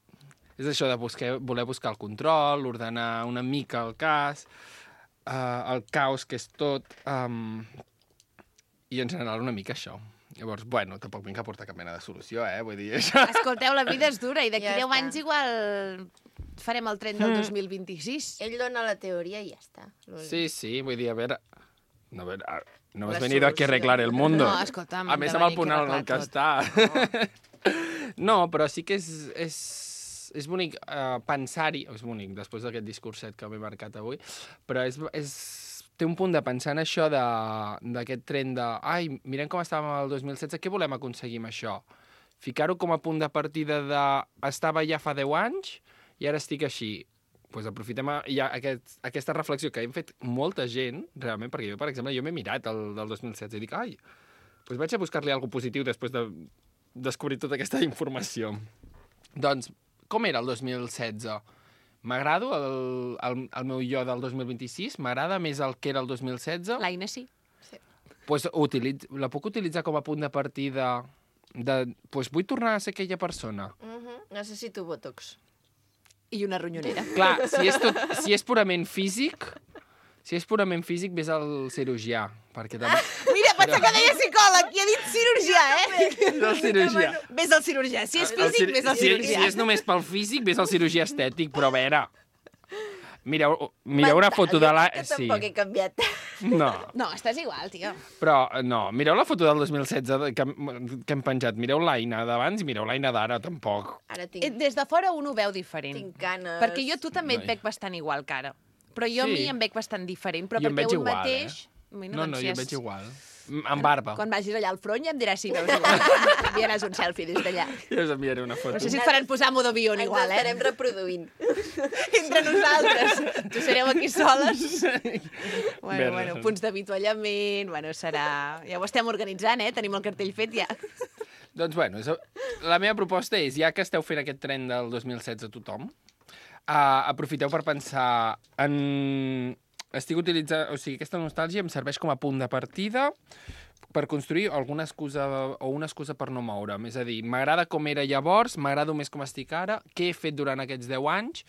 És això de buscar, voler buscar el control, ordenar una mica el cas, uh, el caos que és tot, um, i en general una mica això. Llavors, bueno, tampoc vinc a portar cap mena de solució, eh? Vull dir, això... Escolteu, la vida és dura i d'aquí Ja deu està. anys igual farem el tren del dos mil vint-i-sis. Ell dona la teoria i ja està. Sí, sí, vull dir, a veure... No, a ver, no has La venido aquí a arreglar el mundo. No, escolta'm, A més, de amb el venir punt aquí a en el que arreglar està. No, però sí que és, és, és bonic uh, pensar-hi, és bonic, després d'aquest discurset que m'he marcat avui, però és, és, té un punt de pensar en això d'aquest tren de ai, mirem com estàvem el dos mil setze, què volem aconseguir amb això? Ficar-ho com a punt de partida de estava ja fa deu anys i ara estic així. Pues aprofitem ja aquest, aquesta reflexió que hem fet molta gent, realment, perquè jo, per exemple, jo m'he mirat el del dos mil setze i dic, ai, pues vaig a buscar-li alguna cosa positiu després de descobrir tota aquesta informació. Doncs, com era el dos mil setze? M'agrado el, el, el meu jo del dos mil vint-i-sis? M'agrada més el que era el dos mil setze? L'Aina sí. Pues utilitz, la puc utilitzar com a punt de partida de... Pues vull tornar a ser aquella persona. Uh -huh. Necessito botox. I una ronyonera. Clar, si és, tot, si és purament físic, si és purament físic, ves al cirurgià, perquè també... Mira, pensa que deia psicòleg i ha dit cirurgià, eh? Del cirurgià. Ves al cirurgià. Si és El físic, cir- ves al si, cirurgià. si és només pel físic, ves al cirurgià estètic, però a veure... Mireu, mireu una foto de la... Que Sí. tampoc he canviat. No, No, estàs igual, tio. però no, mireu la foto del dos mil setze de- que, hem- que hem penjat. Mireu l'Aina d'abans i mireu l'Aina d'ara, tampoc. Ara Eh, tinc, Des de fora un ho veu diferent. tinc canes. Perquè jo a tu també et Noi. veig bastant igual, cara. Però jo a Sí. mi em veig bastant diferent. Però Jo em perquè veig un igual, mateix... eh? Bueno, No, doncs no, si jo és- veig igual. Amb barba. Quan vagis allà al front ja em diràs si veus igual. Enviaràs un selfie des d'allà. Jo us enviaré una foto. No sé si et faran posar modo avió Ens igual, eh? estarem reproduint. Entre nosaltres. Tu sereu aquí soles. Bueno, Verda. bueno, punts d'avituallament, bueno, serà... Ja ho estem organitzant, eh? Tenim el cartell fet ja. Doncs bueno, és, la meva proposta és, ja que esteu fent aquest tren del dos mil setze a tothom, uh, aprofiteu per pensar en... Estic utilitzant... O sigui, aquesta nostàlgia em serveix com a punt de partida per construir alguna excusa o una excusa per no moure'm. És a dir, m'agrada com era llavors, m'agrada més com estic ara, què he fet durant aquests deu anys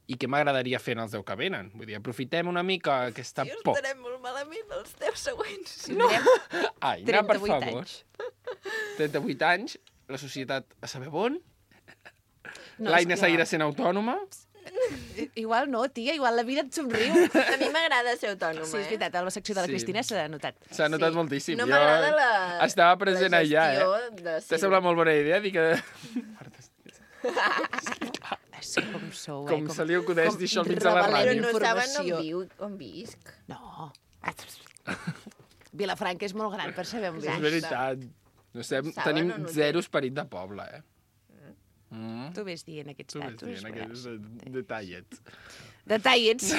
i què m'agradaria fer en els deu que venen. Vull dir, aprofitem una mica aquesta I por. estarem molt malament els deu següents. No. Ai, Aina, per trenta-vuit favor. anys. trenta-vuit anys, la societat a saber on, No, l'Aina és que- seguirà sent autònoma. Igual no, tia, igual la vida et somriu. A mi m'agrada ser autònoma, Sí, és eh? veritat, a la secció de la Sí. Cristina s'ha notat. S'ha notat Sí. moltíssim. No Jo m'agrada la- Estava present la allà, gestió eh? de- sí. T'ha semblat molt bona idea dir que... Sí, com sou, eh? Com se li acudeix dir això al mig de la revelem ràdio. Però no saben informació. on viu, on visc. No. Vilafranca és molt gran per saber on És vius. veritat. No sé, Saben tenim on ho té. zero esperit de poble, eh? Mm. Tu ves dient aquests Tu ves datos. dient aquests de- detallets. Detallets.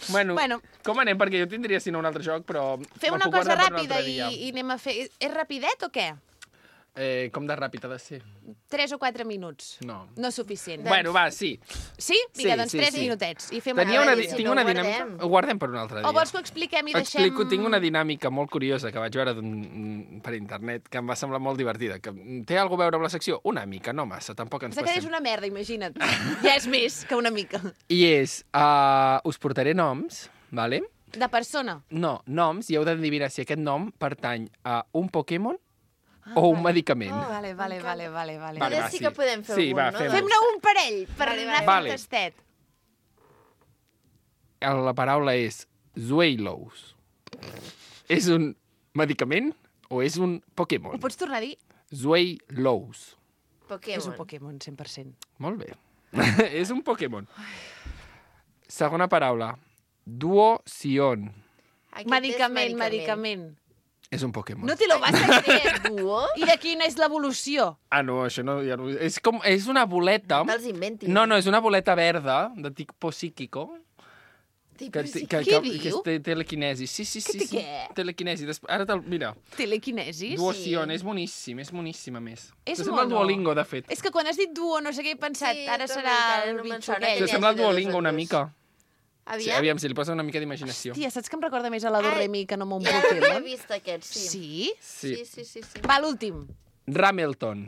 Bueno, Bueno. com anem? Perquè jo tindria, si no, un altre joc, però... Fem me'l una puc cosa guardar per un ràpida altre i, dia. i anem a fer... És rapidet o què? Eh, com de ràpid ha de ser? Tres o quatre minuts. No. No és suficient. Bueno, va, sí. Sí? Vinga, Sí, doncs sí, tres sí. minutets. I fem Tenia una... una, i di- si tinc no una ho dinàmica... guardem? Ho guardem per un altre dia. O vols que ho expliquem i deixem... Explico, tinc una dinàmica molt curiosa que vaig veure d'un- per internet que em va semblar molt divertida. Que té alguna a veure amb la secció? Una mica, no massa, tampoc ens Pensa que és passem. una merda, imagina't. Ja és més que una mica. I és, uh, us portaré noms, vale? De persona. No, noms, i heu d'endevinar si aquest nom pertany a un Pokémon o un medicament. Oh, vale, vale, vale, vale, vale. Vale, Ara va, sí sí. que podem fer Sí, algun, va, no? fem. Fem-ne un parell, per Vale, anar vale. fent tastet. La paraula és Zuelos. És un medicament o és un Pokémon? Ho pots tornar a dir? Zuelos. Pokémon. És un Pokémon, cent per cent. Molt bé. És un Pokémon. Segona paraula. Duosion. Aquest Medicament, és medicament. És un Pokémon. No te lo vas a creer. Duo? I de quina és l'evolució? Ah, no, això no... Ja no... És, com, és una boleta... Te'ls inventis. No, no, és una boleta verda de tipo psíquico. Que, Tipus que, sí. que, Què que, diu? que és te- telequinesi. Sí, sí, sí. Que té sí. què? Telequinesi. Des... Ara te'l... Mira. Telequinesis? Duosion, és boníssim, és boníssim, a més. És T'assembla el mono. Duolingo, de fet. És que quan has dit duo, no sé què he pensat, Sí, ara també, serà encara el no me'n bitxo sona aquell. que T'assembla el de dos Duolingo en una dos. mica. Sí, Aviam. aviam, si li posa una mica d'imaginació. Hòstia, saps que em recorda més a la Doremi que no m'ho Ja l'he Pokémon? vist aquest, sí. Sí? Sí. Sí, sí, sí. sí. Va, l'últim. Ramelton.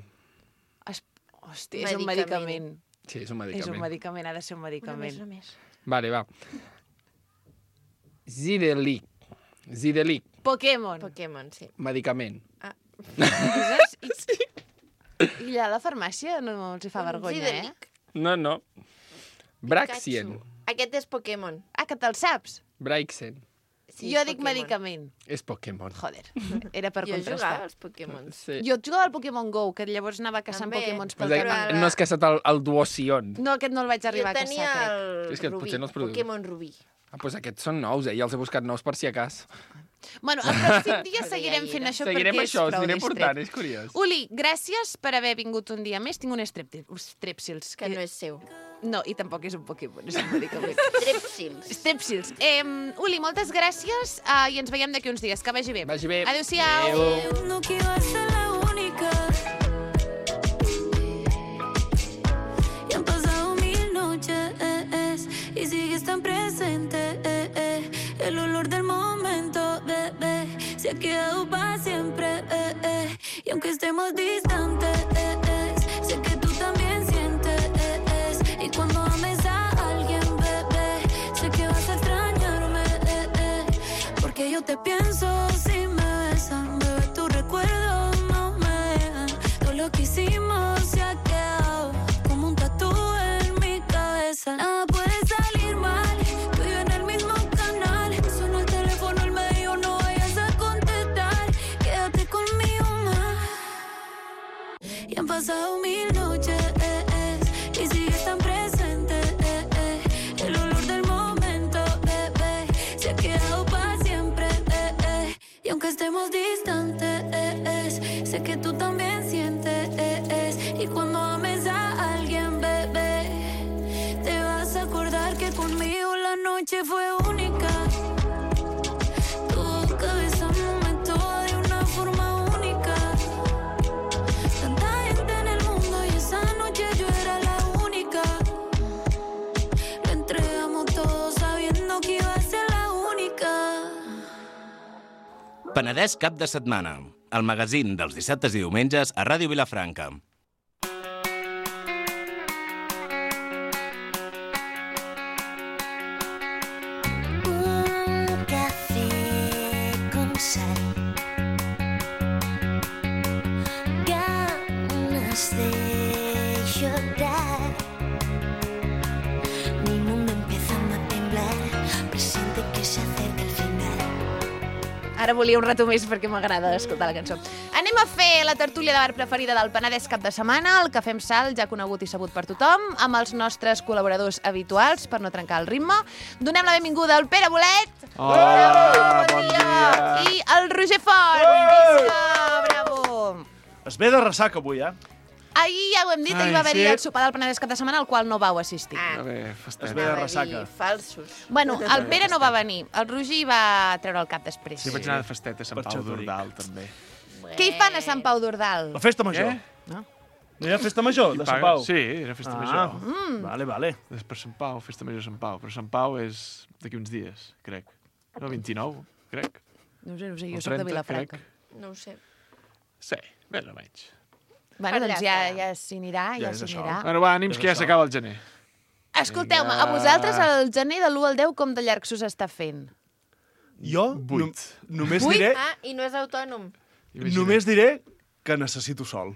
Es... Hòstia, és un Medicament. medicament. Sí, és un És medicament. un medicament, ha de ser un Una més, medicament. una més. Vale, va. Zidelic. Zidelic. Pokémon. Pokémon, sí. Medicament. Dices? I, I allà a la farmàcia no els hi fa vergonya, eh? Zidelic. No, no. Braxien. Pikachu. Aquest és Pokémon. Ah, que te'l saps? Braixen. Sí, jo és dic Pokémon. medicament. És Pokémon. Joder, era per Jo contrastar. jugava als Pokémon. Sí. Jo jugava al Pokémon Go, que llavors anava caçant També. Pokémons Però pel de- camí. Però- No has caçat el, el Duosion. No, aquest no el vaig arribar Jo a tenia caçar, crec. el És que Rubí, potser no els produïs. Pokémon Rubí. Ah, doncs aquests són nous, eh? Ja els he buscat nous per si a cas. Bueno, el pròxim dia Però seguirem ja hi fent era. això Seguirem perquè això, és us prou aniré distret. portant, és curiós. Uli, gràcies per haver vingut un dia més. Tinc un strep- strepsils. Que no és seu. No, i tampoc és un Pokémon, és un medicament. Trepsils. Strepsils. Eh, Uli, moltes gràcies uh, i ens veiem d'aquí uns dies. Que vagi bé. Vagi bé. Adéu-siau. Adéu. No quiero ser la única. Y han pasado mil noches y sigues tan presente. eh, eh. El olor del momento, bebé, se ha quedado para siempre. eh, eh. Y aunque estemos distantes, eh, eh, sé que tú también sientes. eh, eh. Y cuando ames a alguien, bebé, sé que vas a extrañarme. eh, eh. Porque yo te pienso si me besan, bebé, tu recuerdo no me dejan. Todo lo que hicimos se ha quedado como un tatú en mi cabeza. Nada puede salir mal, tú y yo en el mismo canal. Sonó el teléfono, él me dijo no vayas a contestar. Quédate conmigo más. Y han pasado mil noches eh, eh, y sigues tan presente. eh, eh. El olor del momento, bebé, se ha quedado para siempre. eh, eh. Y aunque estemos distantes, eh, eh, sé que tú también sientes. eh, eh. Y cuando ames a alguien, bebé, te vas a acordar que conmigo la noche fue única. Tu boca besándome toda de una forma única. Tanta gente en el mundo y esa noche yo era la única. Lo entregamos todo sabiendo que iba a ser la única. Penedès cap de setmana. El magazín dels dissabtes i diumenges a Ràdio Vilafranca. Un café con sal. Ganas de llorar. Mi mundo empezando a temblar. Presiente que se acerca el final. Ara volia un rato més perquè m'agrada escoltar la cançó. Anem a fer la tertúlia de bar preferida del Penedès cap de setmana, el Cafè amb Sal, ja conegut i sabut per tothom, amb els nostres col·laboradors habituals, per no trencar el ritme. Donem la benvinguda al Pere Bolet. Hola, bon dia. I el Roger Font. Visca, bravo. Es ve de ressaca avui, eh? Ahir ja ho hem dit, ahir Ai, va haver-hi sí. el sopar del Penedès cap de setmana, al qual no vau assistir. Ah, A veure, festet. Es es ve de dir ressaca. falsos. Bueno, el Pere no va venir, el Roger va treure el cap després. Sí, vaig anar de festet a Sant Per Pau això t'ho dic. d'Ordal, també. Què hi fan a Sant Pau d'Ordal? La festa major. Què? No? No hi ha festa major de Sant paga- Pau? sí, era festa ah, major. Mm. Vale, vale. És per Sant Pau, festa major a Sant Pau. Però Sant Pau és d'aquí uns dies, crec. No, vint-i-nou, crec. No ho sé, no ho sé, jo O soc de trenta, Vilafranca. crec. No ho sé. Sí, més o menys. Bueno, Allà doncs ja, estarà. ja s'hi anirà, ja, és s'hi això. anirà. Bueno, va, ànims, que ja s'acaba el gener. Escolteu-me, Vinga. a vosaltres el gener de l'u al deu com de llarg s'us està fent? Jo Vuit. no, només Vuit? diré Ah, i no és autònom. Imagina't. només diré que necessito sol.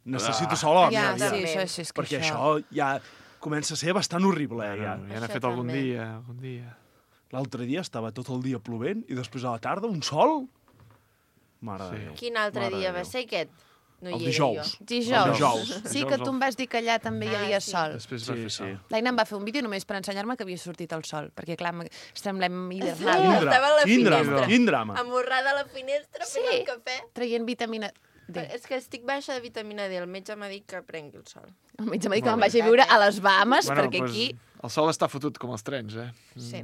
Necessito Ah. sol a la Ja, meva sí, vida. això, això és que Perquè això... això ja comença a ser bastant horrible, eh, ja. Bueno, ja n'ha Això fet algun també. dia, algun dia. L'altre dia estava tot el dia plovent i després a la tarda un sol. Mare Sí. de Déu. Quin altre Mare de dia va Déu. ser aquest? No hi El era dijous. jo. Dijous. El dijous. Sí que tu em vas dir que allà també hi Ah, havia sí. sol. Després va Sí, fer sí. sol. L'Aina em va fer un vídeo només per ensenyar-me que havia sortit el sol, perquè clar, m- semblem Ah, hivernal, estava a la quin drama, finestra. quin drama. Amorrada a la finestra fent Sí. el cafè. traient vitamina D. És que estic baixa de vitamina D. El metge m'ha dit que prengui el sol. El metge m'ha dit que Molt me'n vagi a bé. viure a les Bahamas, Bueno, perquè doncs, aquí el sol està fotut com els trens, eh? Sí.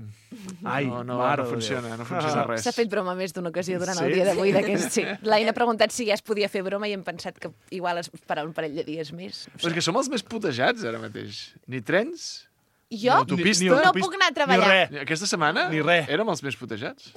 Ai, no, no, mare no de funciona, Déu. no funciona res. s'ha fet broma més d'una ocasió durant el Sí? dia d'avui. d'aquest- Sí. L'Aina ha preguntat si ja es podia fer broma i hem pensat que igual es farà un parell de dies més. No Però és que som els més putejats ara mateix. Ni trens, Jo l'autopista. Ni- no ni autopista, puc anar a ni treballar. res. Ni aquesta setmana Ni res. érem els més putejats.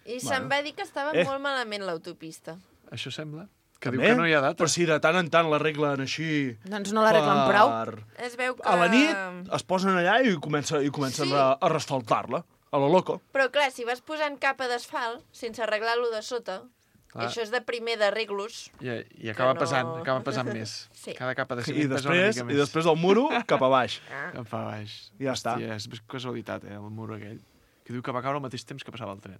I se'm va dir que estava Eh. molt malament l'autopista. Això sembla. Que També? diu que no hi ha data. Però si de tant en tant l'arreglen així... Doncs no l'arreglen prou. per- Es veu que... A la nit es posen allà i comença, i comencen Sí. a, a resfaltar-la, a lo loco. Però clar, si vas posant capa d'asfalt sense arreglar-lo de sota, Clar. això és de primer d'arreglos. I, I acaba no- pesant, acaba pesant més. Sí. Cada capa de I ciment pesa una després, mica i més. després del muro cap a baix. Cap a baix. Ja està. Hòstia, és casualitat, eh, el muro aquell. Que diu que va caure al mateix temps que passava el tren.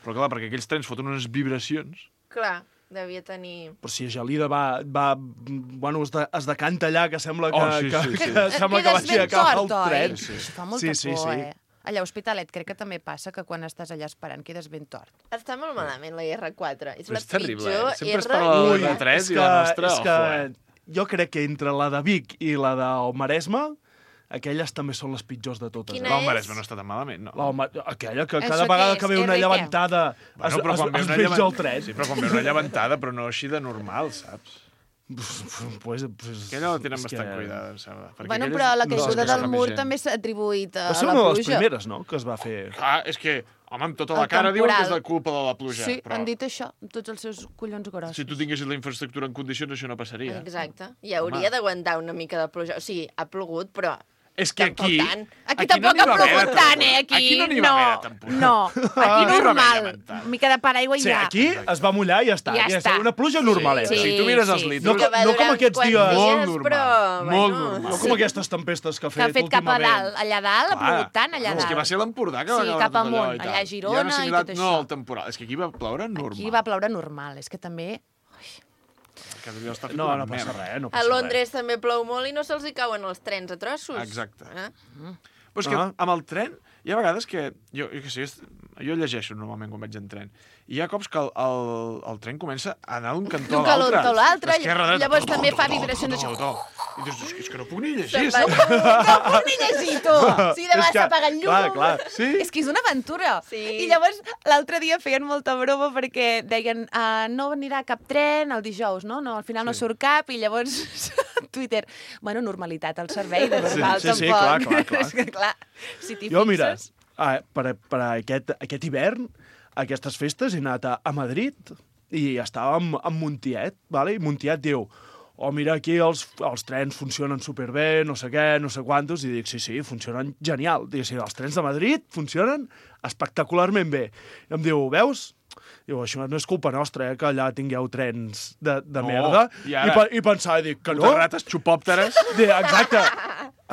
Però clar, perquè aquells trens foten unes vibracions... Clar, devia tenir... Però si a Gelida va... va bueno, es, de, es decanta allà, que sembla que, Oh, sí, que, sí, sí. que, que sembla que Quedes vagi a ben acabar tort, el oi? tren. Sí. Això fa molta Sí, sí, por, sí. eh? Allà a Hospitalet crec que també passa que quan estàs allà esperant quedes ben tort. Està molt malament la erra quatre. És Però la és terrible, pitjor eh? Sempre es erra parla de que la hi ha. R tres és i la nostra, és que ojo, eh? jo crec que entre la de Vic i la del Maresme, aquelles també són les pitjors de totes. Quina eh? La del és? Maresme no està tan malament, no? La, del Ma- aquella que Això cada què vegada és? que ve una R què? llevantada es, Bueno, però es, quan ve es una veig llevan- el tren. Sí, però quan ve una llevantada, però no així de normal, saps? Pues, pues, Aquella la tenen és bastant que... cuidada, em sembla. perquè Bueno, aquella però és- la no, caiguda és que del fa mur més gent. també s'ha atribuït a Va ser la una de les pluja. primeres, no?, que es va fer. Clar, és que, home, amb tota la El cara diuen que és temporal. la culpa de la pluja. Sí, però han dit això, amb tots els seus collons grossos. si tu tinguessis la infraestructura en condicions, això no passaria. Exacte. I hauria d'aguantar una mica de pluja. O sigui, ha plogut, però És que tampoc aquí... tant. Aquí, Aquí tampoc no n'hi ha va haver plogut de tant, temporal. eh? Aquí, Aquí no n'hi va haver de temporal. No, no aquí hi va haver normal. llevantada. Mica de paraigua i Sí, ja. aquí es va mullar i ja està. Ja Ja està. està. Una pluja normaleta. Sí, Si tu mires els sí. litros... No, que va no com durar aquests uns dies. quants Molt dies, normal, però... molt bueno, normal. No com aquestes tempestes que ha Que ha fet, fet cap a últimament. dalt. Allà dalt ha plogut tant, allà no, és que va dalt. ser l'Empordà que va Sí, acabar cap tot allò amunt, i tal. allà a Girona I ara i assimilat, tot no, això. el temporal. És que aquí va ploure normal. Aquí va ploure normal. És que també... Que allò està fet No, una no passa merda. res, no A passa Londres també plou molt i no se'ls hi cauen els trens a trossos. Exacte. Eh? Però és que Ah. amb el tren, hi ha vegades que... Jo, jo, que sé, jo llegeixo normalment quan vaig en tren. I hi ha cops que el, el, el tren comença a anar d'un cantó D'un a l'altre. cantó a l'altre, D'esquerra a dreta. llavors To, també to, fa to, vibracions to, així. to, to. I dius, és que- és que no puc ni llegir. Se'n saps? va- No puc ni llegir, tu! Sí, demà És que- s'apaga el llum. clar, clar. Sí? És que és una aventura. Sí. I llavors l'altre dia feien molta broma perquè deien uh, no anirà cap tren el dijous, no? no al final no surt cap i llavors Twitter, bueno, normalitat al servei, de normal Sí, sí, sí, tampoc. clar, clar, clar. És que, clar, si t'hi Jo, mira, fixes... ah, per, per aquest, aquest hivern, a aquestes festes, he anat a, a Madrid i estàvem en Montiet, vale? I Montiet diu, oh, mira, aquí els, els trens funcionen superbé, no sé què, no sé quantos, i dic, sí, sí, funcionen genial. Dic, sí, els trens de Madrid funcionen espectacularment bé. I em diu, veus? Diu, això no és culpa nostra, eh, que allà tingueu trens de, de No, merda. i ara- I, pe- I pensava, dic, que no? Puta rates xupòpteres Dic, exacte.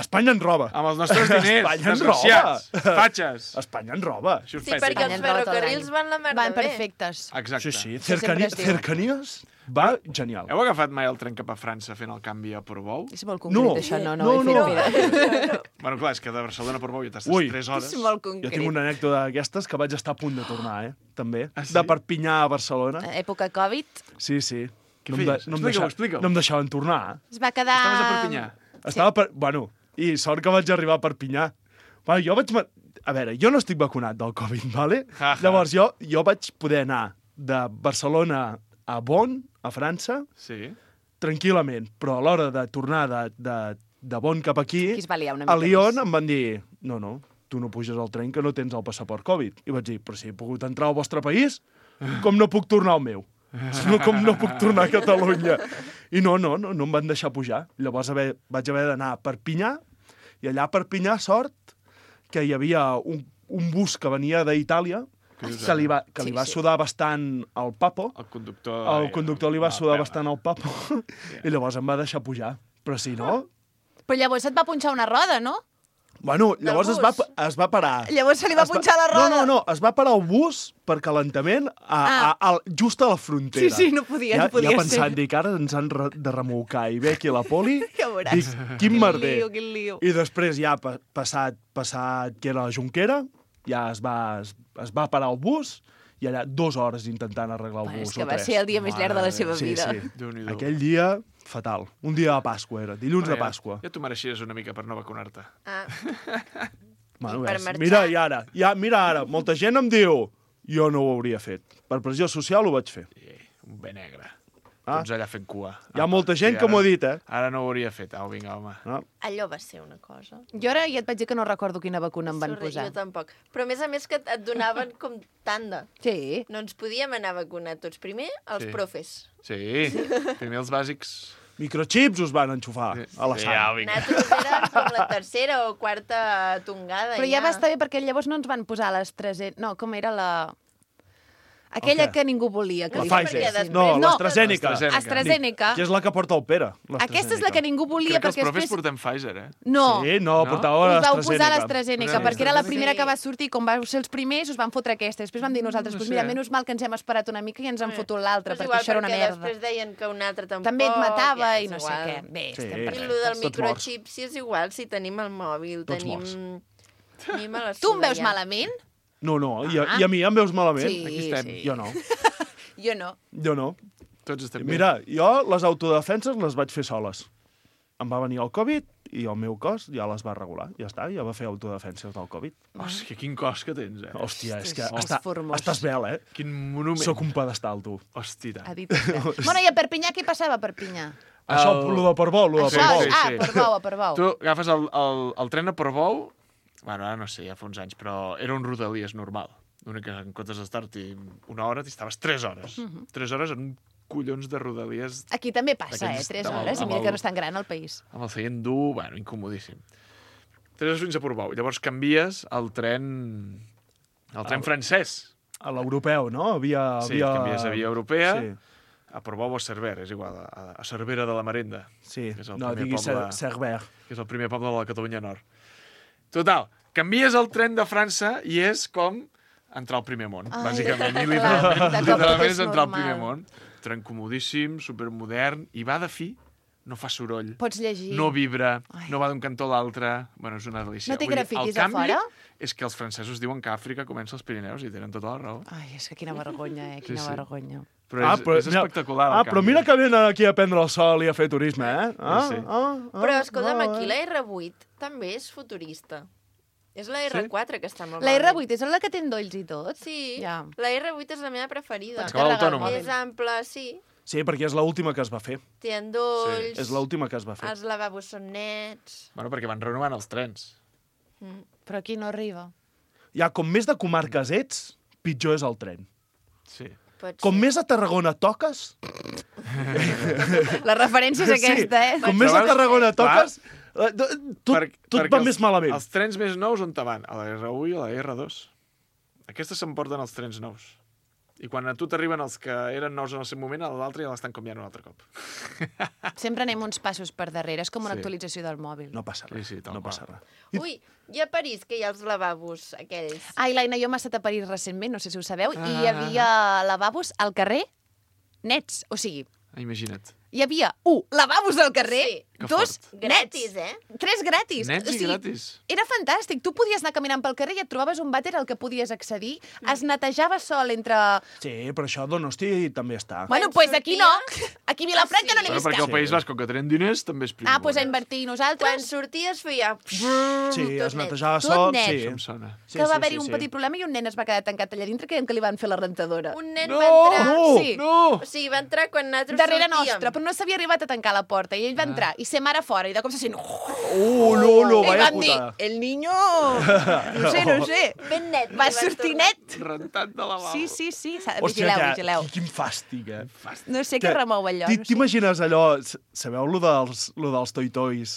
Espanya ens roba. amb els nostres diners. Espanya ens desgraciats, roba. Fatxes. Espanya ens roba. Això us Sí, pensa. perquè els Espanya ens roba tot ferrocarrils l'any. van la merda Van bé. perfectes. Exacte. Sí, sí, sempre cercani es diu. cercanies va genial. Heu agafat mai el tren cap a França fent el canvi a Portbou? És molt concret, No. això. No, no, No, ho he fet, no. mira. Bueno, clar, és que de Barcelona a Portbou ja t'estàs Ui. tres hores. És molt Jo concret. tinc una anècdota d'aquestes que vaig estar a punt de tornar, eh? També. Ah, sí? De Perpinyà a Barcelona. Època Covid, Sí, sí. Què no em, feies? no, em Explica-ho, deixa, explica-ho. no em deixaven tornar. es va quedar... Estaves a Perpinyà. Estava per... Bueno, i sort que vaig arribar a Perpinyà. Bueno, jo vaig... ma- A veure, jo no estic vacunat del Covid, vale? Ja, ja. Llavors jo, jo vaig poder anar de Barcelona a Bonn, a França, Sí. tranquil·lament, però a l'hora de tornar de, de, de Bonn cap aquí, Aquí es va liar una mica a Lyon més. em van dir, no, no, tu no puges al tren que no tens el passaport Covid. I vaig dir, però si he pogut entrar al vostre país, com no puc tornar al meu? No, com no puc tornar a Catalunya? I no, no, no, no em van deixar pujar. Llavors haver, vaig haver d'anar a Perpinyà, i allà a Perpinyà, sort, que hi havia un, un bus que venia d'Itàlia, que li va, que li Sí, va sí. sudar bastant el papo. El conductor... El conductor li va Ah, sudar pela. bastant el papo, i llavors em va deixar pujar. Però si no... Però llavors et va punxar una roda, no? Bueno, llavors Del es va, bus. es va parar. Llavors se li va Es va- punxar la roda. No, no, no, es va parar el bus per calentament a, Ah. a, a, just a la frontera. Sí, sí, no podia, ja, no podia ja ser. pensant, dic, ara ens han re de remolcar i ve aquí a la poli, Ja veuràs. dic, quin merder. lío, quin lío. I després ja pa passat, passat que era la Junquera, ja es va, es, es va parar el bus i allà dues hores intentant arreglar el Bueno, bus és que o va tres. ser el dia més llarg de la seva Sí, vida. sí. Déu-n'hi-do. Aquell dia, fatal. Un dia de Pasqua era, dilluns de Bueno, ja- Pasqua. Ja t'ho mereixies una mica per no vacunar-te. Ah, Bueno, I per ves, marxar- mira, i ara, ja, mira ara, molta gent em diu jo no ho hauria fet. Per pressió social ho vaig fer. I, un bé negre. Ah. Tots allà fent cua. Hi ha molta gent que m'ho ha dit, eh? Ara no ho hauria fet. Au, vinga, home. Ah. allò va ser una cosa. Jo ara ja et vaig dir que no recordo quina vacuna em van Sorry, posar. Jo tampoc. Però a més a més que et donaven com tanda. Sí. No ens podíem anar a vacunar tots. Primer, els Sí. profes. Sí, primer els bàsics. Microchips us van enxufar a la Sí, sang. au, vinga. Nosaltres érem com la tercera o quarta tongada. Però i ja va estar bé perquè llavors no ens van posar les tres... No, com era la... Aquella què? que ningú volia. Que La li Pfizer. fessin. No, l'AstraZeneca. AstraZeneca. Que és la que porta el Pere. Aquesta és la que ningú volia Crec que els perquè profes després... portem Pfizer, eh? No. Sí, no, portava Us vau l'AstraZeneca. posar l'AstraZeneca, Sí. perquè era la primera Sí. que va sortir, com vau ser els primers, us van fotre aquesta. Després vam dir nosaltres, No pues sé. mira, menys mal que ens hem esperat una mica i ens han fotut l'altra, És perquè igual, això era una perquè merda. després deien que un altre tampoc... També et matava ja, i és no sé igual. què. Bé, Sí. estem I perfectes. el del Tots microxip, si és igual, si tenim el mòbil, Tots tenim... morts. Tenim a la Tu em veus ja. malament? No, no, i a, Ah. i a mi em veus malament? Sí, Aquí estem. sí. Jo no, Jo no. jo no. Tots estem bé. Mira, jo les autodefenses les vaig fer soles. Em va venir el Covid i el meu cos ja les va regular. Ja està, ja va fer autodefenses del Covid. Hòstia, quin cos que tens, eh? Hòstia, és que És està, formós. estàs vel, eh? Quin monument. Soc un pedestal, tu. Hòstia, Ha tant. dit vostè. Bueno, i a Perpinyà què passava a Perpinyà? Això, El- lo de Portbou, lo de Això, Portbou. sí, ah, sí. Portbou, a Portbou. Tu agafes el, el, el tren a Portbou, bueno, ara no sé, ja fa uns anys, però era un Rodalies normal. L'únic que en comptes d'estar-t'hi una hora, t'hi estaves tres hores. Mhm. Tres hores en un collons de Rodalies Aquí també passa, eh? D'aquells- Tres amb el- hores, i amb mira el- que no és tan gran el país. amb el seient dur, bueno, incomodíssim. Tres hores fins a Portbou. Llavors canvies el tren... El tren El- francès. A l'europeu, no? Havia, Sí, havia... canvies a via europea. Sí, A Portbou o a Cerver, és igual, a, a Cervera de la Marenda, sí. Que és el No, primer diguis poble- Cer- Cerver. que és el primer poble de la Catalunya Nord. Total, canvies el tren de França i és com entrar al primer món, Ai, bàsicament. I clar, literalment, de cop literalment és és entrar al normal. primer món. Tren comodíssim, supermodern, i va de fi, no fa soroll, Pots llegir. no vibra, Ai. no va d'un cantó a l'altre. Bueno, és una delícia. No té Vull dir, grafitis el a canvi fora? és que els francesos diuen que Àfrica comença als Pirineus i tenen tota la raó. Ai, és que quina vergonya, eh? Sí, Quina sí. vergonya. Però és, és mira- espectacular, el Ah, però canvi. mira que venen aquí a prendre el sol i a fer turisme, eh? Ah, Sí, sí. ah, ah, Però, escolta'm, ah, aquí eh? la R vuit també és futurista. És la R quatre que està molt La malament. R vuit és la que té endolls i tot? Sí, Ja. la R vuit és la meva preferida. Pots Acaba carregar el autònoma. mòbil. És ampla, sí. Sí, perquè és l'última que es va fer. Té endolls, És l'última que es va fer. els lavabos són nets... Bueno, perquè van renovant els trens. Mm. Però aquí no arriba. Ja, com més de comarques ets, pitjor és el tren. Sí. Pot Com ser. més a Tarragona toques... La referència és aquesta, eh? Com més a veus? Tarragona Clar. toques, eh, tot, Per- tot perquè va més malament. Els trens més nous on te van? A la R u i a la R dos. Aquestes s'emporten els trens nous. I quan a tu t'arriben els que eren nous en el seu moment, a l'altre ja l'estan canviant un altre cop. Sempre anem uns passos per darrere. És com una Sí. actualització del mòbil. No passa res, Sí, sí, tal no qual. passa res. Ui, i a París, que hi ha els lavabos aquells. Ai, l'Aina, jo m'he estat a París recentment, no sé si ho sabeu, Ah. i hi havia lavabos al carrer nets. O sigui, Ah, imagina't. hi havia, un, lavabos al carrer, Sí. Que dos, fort. Gratis, nets, eh? tres gratis. Nets o i sigui, gratis. Era fantàstic. Tu podies anar caminant pel carrer i et trobaves un vàter al que podies accedir. Es netejava sol entre... Sí, però això a Donosti també està. Bueno, Quan doncs pues aquí no. sorties- Aquí a Vilafranca Ah, no sí? n'he Bueno, vist perquè cap. el País Basc, com que tenen diners, també és primer Ah, doncs pues a món. invertir Quan nosaltres. sorties feia... Sí, tot es net. netejava Tot sol, net. sí. Això em sona. Sí, que va sí, haver-hi sí, un sí. petit problema i un nen es va quedar tancat allà dintre creient que li van fer la rentadora. Un nen No, va entrar... no, Sí. No! O sigui, va entrar quan nosaltres Darrere sortíem. nostra, però no s'havia arribat a tancar la porta i ell va entrar i se mare fora i de cop se sent... Uh, no, no, I vaya van dir, putada. el niño... No sé, no sé. Ben net. Va li van sortir tornar. net. Rentat de lavabo. Sí, sí, sí. S'ha- Hòstia, Vigileu, que, vigileu. quin fàstic, eh? No sé què remou allò. Ti- No sé. T'imagines allò, s- sabeu lo dels, lo dels toi-tois,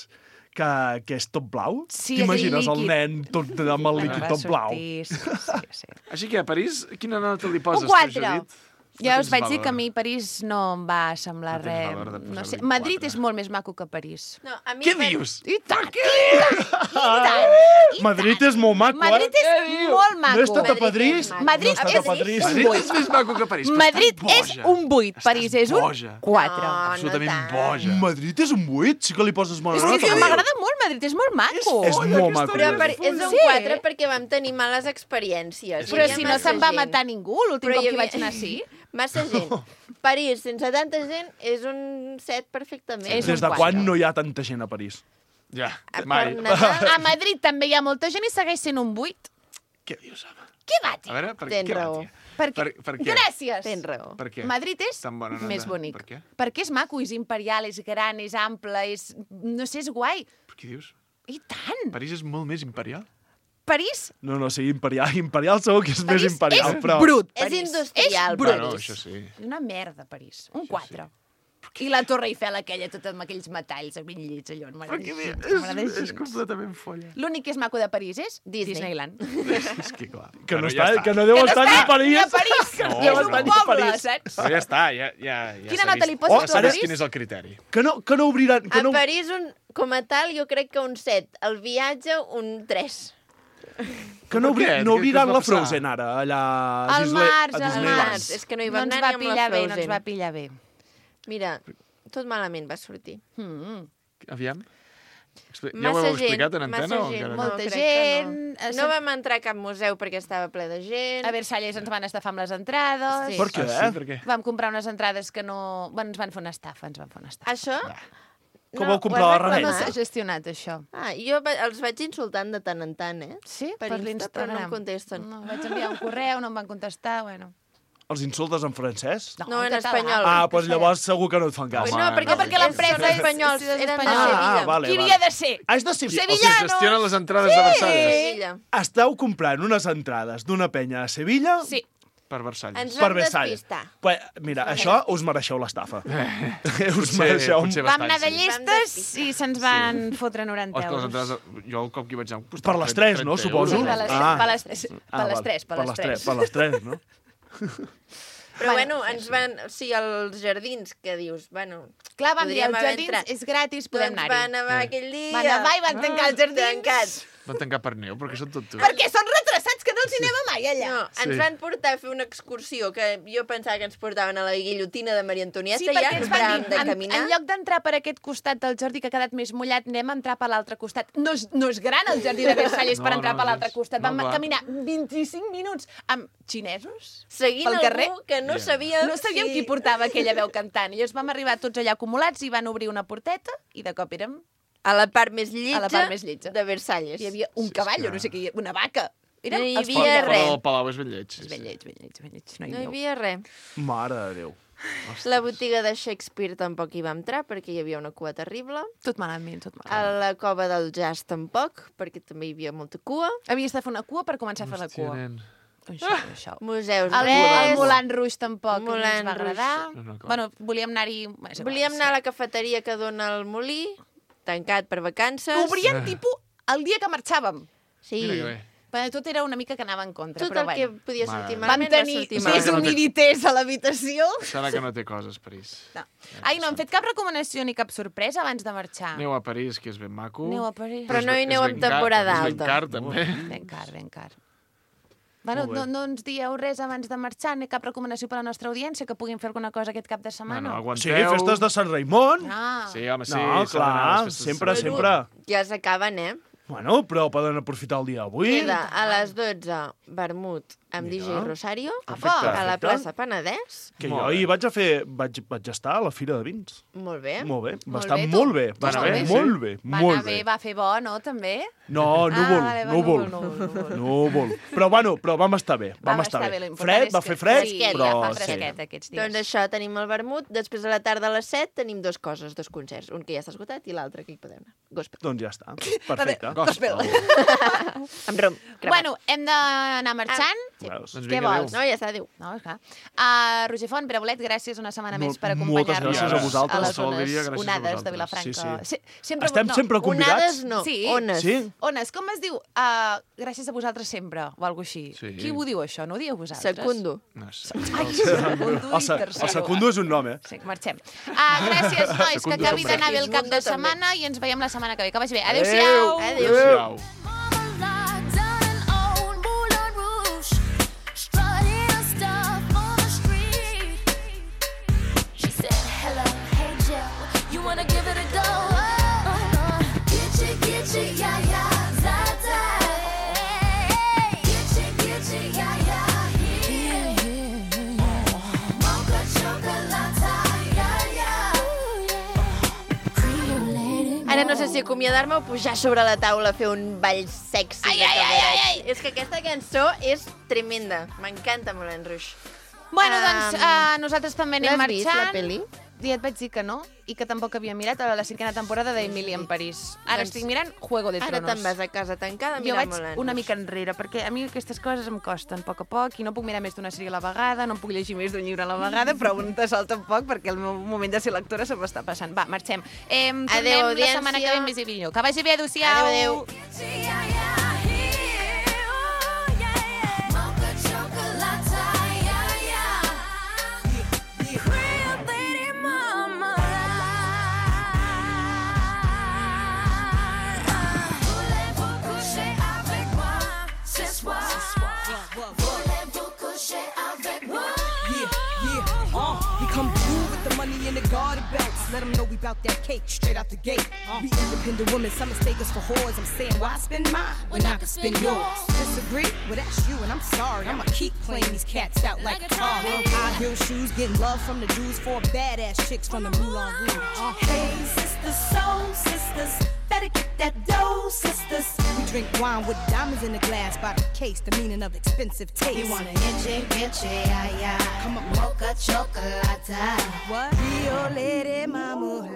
que, que és tot blau? Sí, T'imagines aquell el líquid. nen tot amb el Va líquid tot blau? sortir, Sí, sí, sí. Així que a París, quina nota li poses, Un tu, quatre. Judit? Ja No us tens vaig dir valor. que a mi París no em va semblar No tens res. valor de No posar-li sé. un Madrid quatre. és molt més maco que París. No, a mi Què va- dius? I tant, i tant, i tant, i Madrid tant. és molt maco, Madrid eh? és molt maco. No he estat a Madrid Padrís? és maco. Madrid no he estat a és Padrís. un Madrid vuit. és més maco que París. però Madrid estàs és boja. un vuit, Estàs París és un boja. quatre. No, Absolutament no tant. boja. Madrid és un vuit? Sí que li poses molt És nota. que m'agrada molt Madrid, és molt maco. És molt maco. Però per, és un Sí. quatre perquè vam tenir males experiències. Però Hi havia si no massa se'n va gent. matar ningú, l'últim Però cop hi que havia- vaig anar sí. Massa gent. París, sense tanta gent, és un set perfectament. És Des un de quatre. quan no hi ha tanta gent a París? Ja, Per mai. Nadal, A Madrid també hi ha molta gent i segueix sent un vuit. Què dius, home? Què va dir? A veure, per Tens què va, raó. tia? Per, Per, per què? Gràcies. tens raó. Per què? Madrid és Tan bona nota. més bonic. Per què? Perquè és maco, és imperial, és gran, és ample, és... No sé, és guai. Per què dius? I tant! París és molt més imperial? París No, no, sí, imperial. Imperial segur que és París més imperial, és però... brut, És París. industrial, És brut. Bueno, això sí. Una merda, París. Un quatre. I la Torre Eiffel aquella, tot amb aquells metalls ben llets, allò. Però que bé, M'agrada és, així. és completament folla. L'únic que és maco de París és Disney. Disneyland. És que clar. Que no, Bueno, ja està, està. que no deu Que no estar ni a està París. ni a París. Que no No, deu és estar un ni a poble, París. saps? Però ja està, ja, ja, ja Quina s'ha nota vist. li poses, Oh, s'ha a vist París? quin és el criteri. Que no, que no obriran... Que A no... París, un, com a tal, jo crec que un set. El viatge, un tres. Que no, Per obri, què? no Què- què obriran us va la passar? Frozen ara, allà a, Al Disney, març, a al Disneyland. març. És que no hi No va ens anar va ni amb la pillar bé, no ens Frozen. va pillar bé. Mira, tot malament va sortir. Mm. Aviam. Expli- Ja Massa ho heu gent, explicat en antena massa o gent, encara no? Molta crec que gent, No. eh, no vam entrar a cap museu perquè estava ple de gent. A Versalles ens van estafar amb les entrades. Sí. Per què? Ah, sí, per què? Vam comprar unes entrades que no... Bueno, ens van fer una estafa, ens van fer una estafa. Això? Com no, vau comprar ho la has rebella? No reclamat? s'ha gestionat, això. Ah, jo va- els vaig insultant de tant en tant, eh? Sí? Per Insta, però no em contesten. No, vaig enviar un correu, no em van contestar, bueno. Els insultes en francès? No, en català. espanyol. Ah, doncs llavors segur que no et fan cas. Pues no, Home, perquè, no, perquè no, l'empresa no, és espanyols, sí, sí, eren de espanyols. Sevilla. Ah, vale, Qui vale. havia de ser? Ah, és de Sevilla. O sigui, Sevillanos! gestionen les entrades de Versalles. Sevilla. Esteu comprant unes entrades d'una penya a Sevilla Sí. Per Versalles. Ens per vam Versalles. despistar. Pues, mira, això us mereixeu l'estafa. us Potser, mereixeu... potser Vam bastant, anar de sí. llestes i se'ns van fotre noranta O és que les euros. entrades... Jo el cop que hi vaig anar... em Per les tres, no, trenta suposo? Sí, euros. per les, Ah. per les, per Ah, les val. tres, per les tres. Per les tres, no? Però Bueno, bueno, ens van... O sigui, els jardins, que dius, bueno... Clar, vam dir, podríem els haver jardins entrat. és gratis, podem Doncs va anar-hi. nevar aquell dia. Va nevar i van tancar els jardins. Tancats. Van tancar per neu, perquè són tot tu. Perquè són retrasats, que no els hi anem mai allà. No, ens Sí. van portar a fer una excursió que jo pensava que ens portaven a la guillotina de Maria Antonieta, Sí, ja perquè no ens van paràvem dir, de en, caminar. en lloc d'entrar per aquest costat del jardí que ha quedat més mullat, anem a entrar per l'altre costat. No és, no és gran el jardí de Versalles No, per entrar no, per l'altre gens. costat. No, Vam clar. caminar vint-i-cinc minuts amb xinesos Seguint pel carrer. algú que no Ja. sabia... No sabíem qui portava aquella veu cantant. I llavors vam arribar tots allà acumulats i van obrir una porteta i de cop érem... A la part més lletja, A la part més lletja. de Versalles. Hi havia un Sí, cavall, és o que- no sé què, una vaca. Érem No hi els havia pobles. Fora res. del Palau és ben lleig. Sí, És ben sí. lleig, ben lleig, ben lleig. No hi No hi aneu. havia res. Mare de Déu. La botiga de Shakespeare tampoc hi va entrar perquè hi havia una cua terrible. Tot malament, tot A malament. la cova del jazz tampoc, perquè també hi havia molta cua. Havies de fer una cua per començar a fer la Hòstia, cua. nen. Això, això. Museus, El, res. el Moulin Rouge tampoc no Moulin ens va agradar. Rouge. No, no, clar. Bueno, volíem anar-hi... és igual, Volíem sí. anar a la cafeteria que dona el molí, tancat per vacances. Obrien, tipus, el dia que marxàvem. Sí. Mira que bé. Però tot era una mica que anava en contra, Tot però el que bueno. podia Mare sortir meva. Vam malament va tenir sortir Serà més que no malament. té- humidités a l'habitació. Serà que no té coses, París. No. Ai, no hem fet cap recomanació ni cap sorpresa abans de marxar. Aneu a París, que és ben maco. Aneu a París. Però no hi És aneu ben en car- temporada És ben alta. car, també. Ben car, ben car. Bueno, Molt bé. no, no ens dieu res abans de marxar, ni cap recomanació per a la nostra audiència, que puguin fer alguna cosa aquest cap de setmana. Bueno, Sí, aguanteu. festes de Sant Raimon. Ah, Sí, home, sí. No, s'ha d'anar a clar, les festes de sempre, Sant sempre. Raimon. Ja s'acaben, eh? Bueno, però poden aprofitar el dia d'avui. Queda a les dotze, vermut amb D J Mira. Rosario, Perfecte, a la perfecte. plaça Penedès. Que Molt jo bé. hi vaig a fer... Vaig, vaig estar a la Fira de Vins. Molt bé. Molt bé, va Molt estar bé, tu. molt bé. Va anar estar bé, sí? molt bé, va molt anar bé. bé, va fer bo, no, també? No, núvol, Ah, vale, va, núvol. núvol, núvol. Núvol. Però bueno, però vam estar bé, vam, estar bé. lo important Fred, és va que- fer fred, sí, però... ja fa sí. fresquet aquests dies. Doncs això, tenim el vermut. Després a la tarda a les set tenim dos coses, dos concerts. Un que ja està esgotat i l'altre que hi podem anar. Gospel. Doncs ja està, perfecte. Gospel. Amb rom. cremat. Bueno, hem d'anar marxant. Sí. Veus? Doncs Què vinga, vols? adéu. No, ja està, adéu. No, és clar. Uh, Roger Font, Pere Bolet, gràcies una setmana Mol- més per moltes acompanyar-nos gràcies a vosaltres. a les Qualsevol zones dia, gràcies a onades de vosaltres. Vilafranca. Sí, sí. Se- sempre, Estem no, sempre convidats? Onades no, Sí. ones. Sí? Ones, com es diu? Uh, gràcies a vosaltres sempre, o alguna així. Sí. Qui ho diu, això? No ho dieu vosaltres? Secundo. No sé. Ai, secundo El, se, i el tercero. secundo és un nom, eh? Sí, marxem. Uh, gràcies, nois, que Secundo acabi sombre. d'anar bé el cap de Segismundo també. setmana i ens veiem la setmana que ve. Que vagi bé. Adéu-siau. Adéu. Adéu. Locked down in old Moulin Rouge, strutting her stuff on the street. She said, "Hello, hey Joe, you wanna give it a go?" Uh-huh. Gitchy, gitchy, yeah, yeah, zata. Gitchy, gitchy, yeah, yeah, yeah, yeah. Mocha chocolate, yeah, yeah. Cream lady. Ara no sé si acomiadar-me o pujar sobre la taula a fer un ball sexy. Ai, de ai, ai, cabaret. ai, ai. És que aquesta cançó és tremenda. M'encanta Moulin Rouge. Bueno, Um, doncs uh, nosaltres també anem L'has vist, marxant. la pel·li? i et vaig dir que no, i que tampoc havia mirat a la cinquena temporada d'Emily en París. Ara Doncs estic mirant Juego de Ara Tronos. te'n vas a casa tancada a Jo mirar vaig Moulin una Rouge. mica enrere, perquè a mi aquestes coses em costen a poc a poc i no puc mirar més d'una sèrie a la vegada, no puc llegir més d'un llibre a la vegada, però un te sol tampoc perquè el meu moment de ser lectora se m'està passant. Va, marxem. Eh, tornem Adéu, la setmana que audiència. ve més i millor. Que vagi bé, adéu-siau. Adéu, adéu. Come through with the money in the garter belts. Let them know we bout that cake straight out the gate. We independent women, some mistake us for whores. I'm saying, why spend mine when I can spend yours? Disagree? Well, that's you, and I'm sorry. I'ma keep playing these cats out like a car. High heel shoes, getting love from the dudes, four badass chicks from the Moulin Rouge. Uh, hey, sisters, soul sisters, better get that dough, sisters. We drink wine with diamonds in the glass by the case, the meaning of expensive taste. You want an inche, inche, ay, ay. Come on, Mocha chocolate. what? Rio Lady Mama.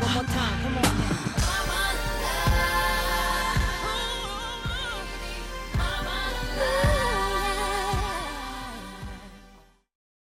One more time, come on now.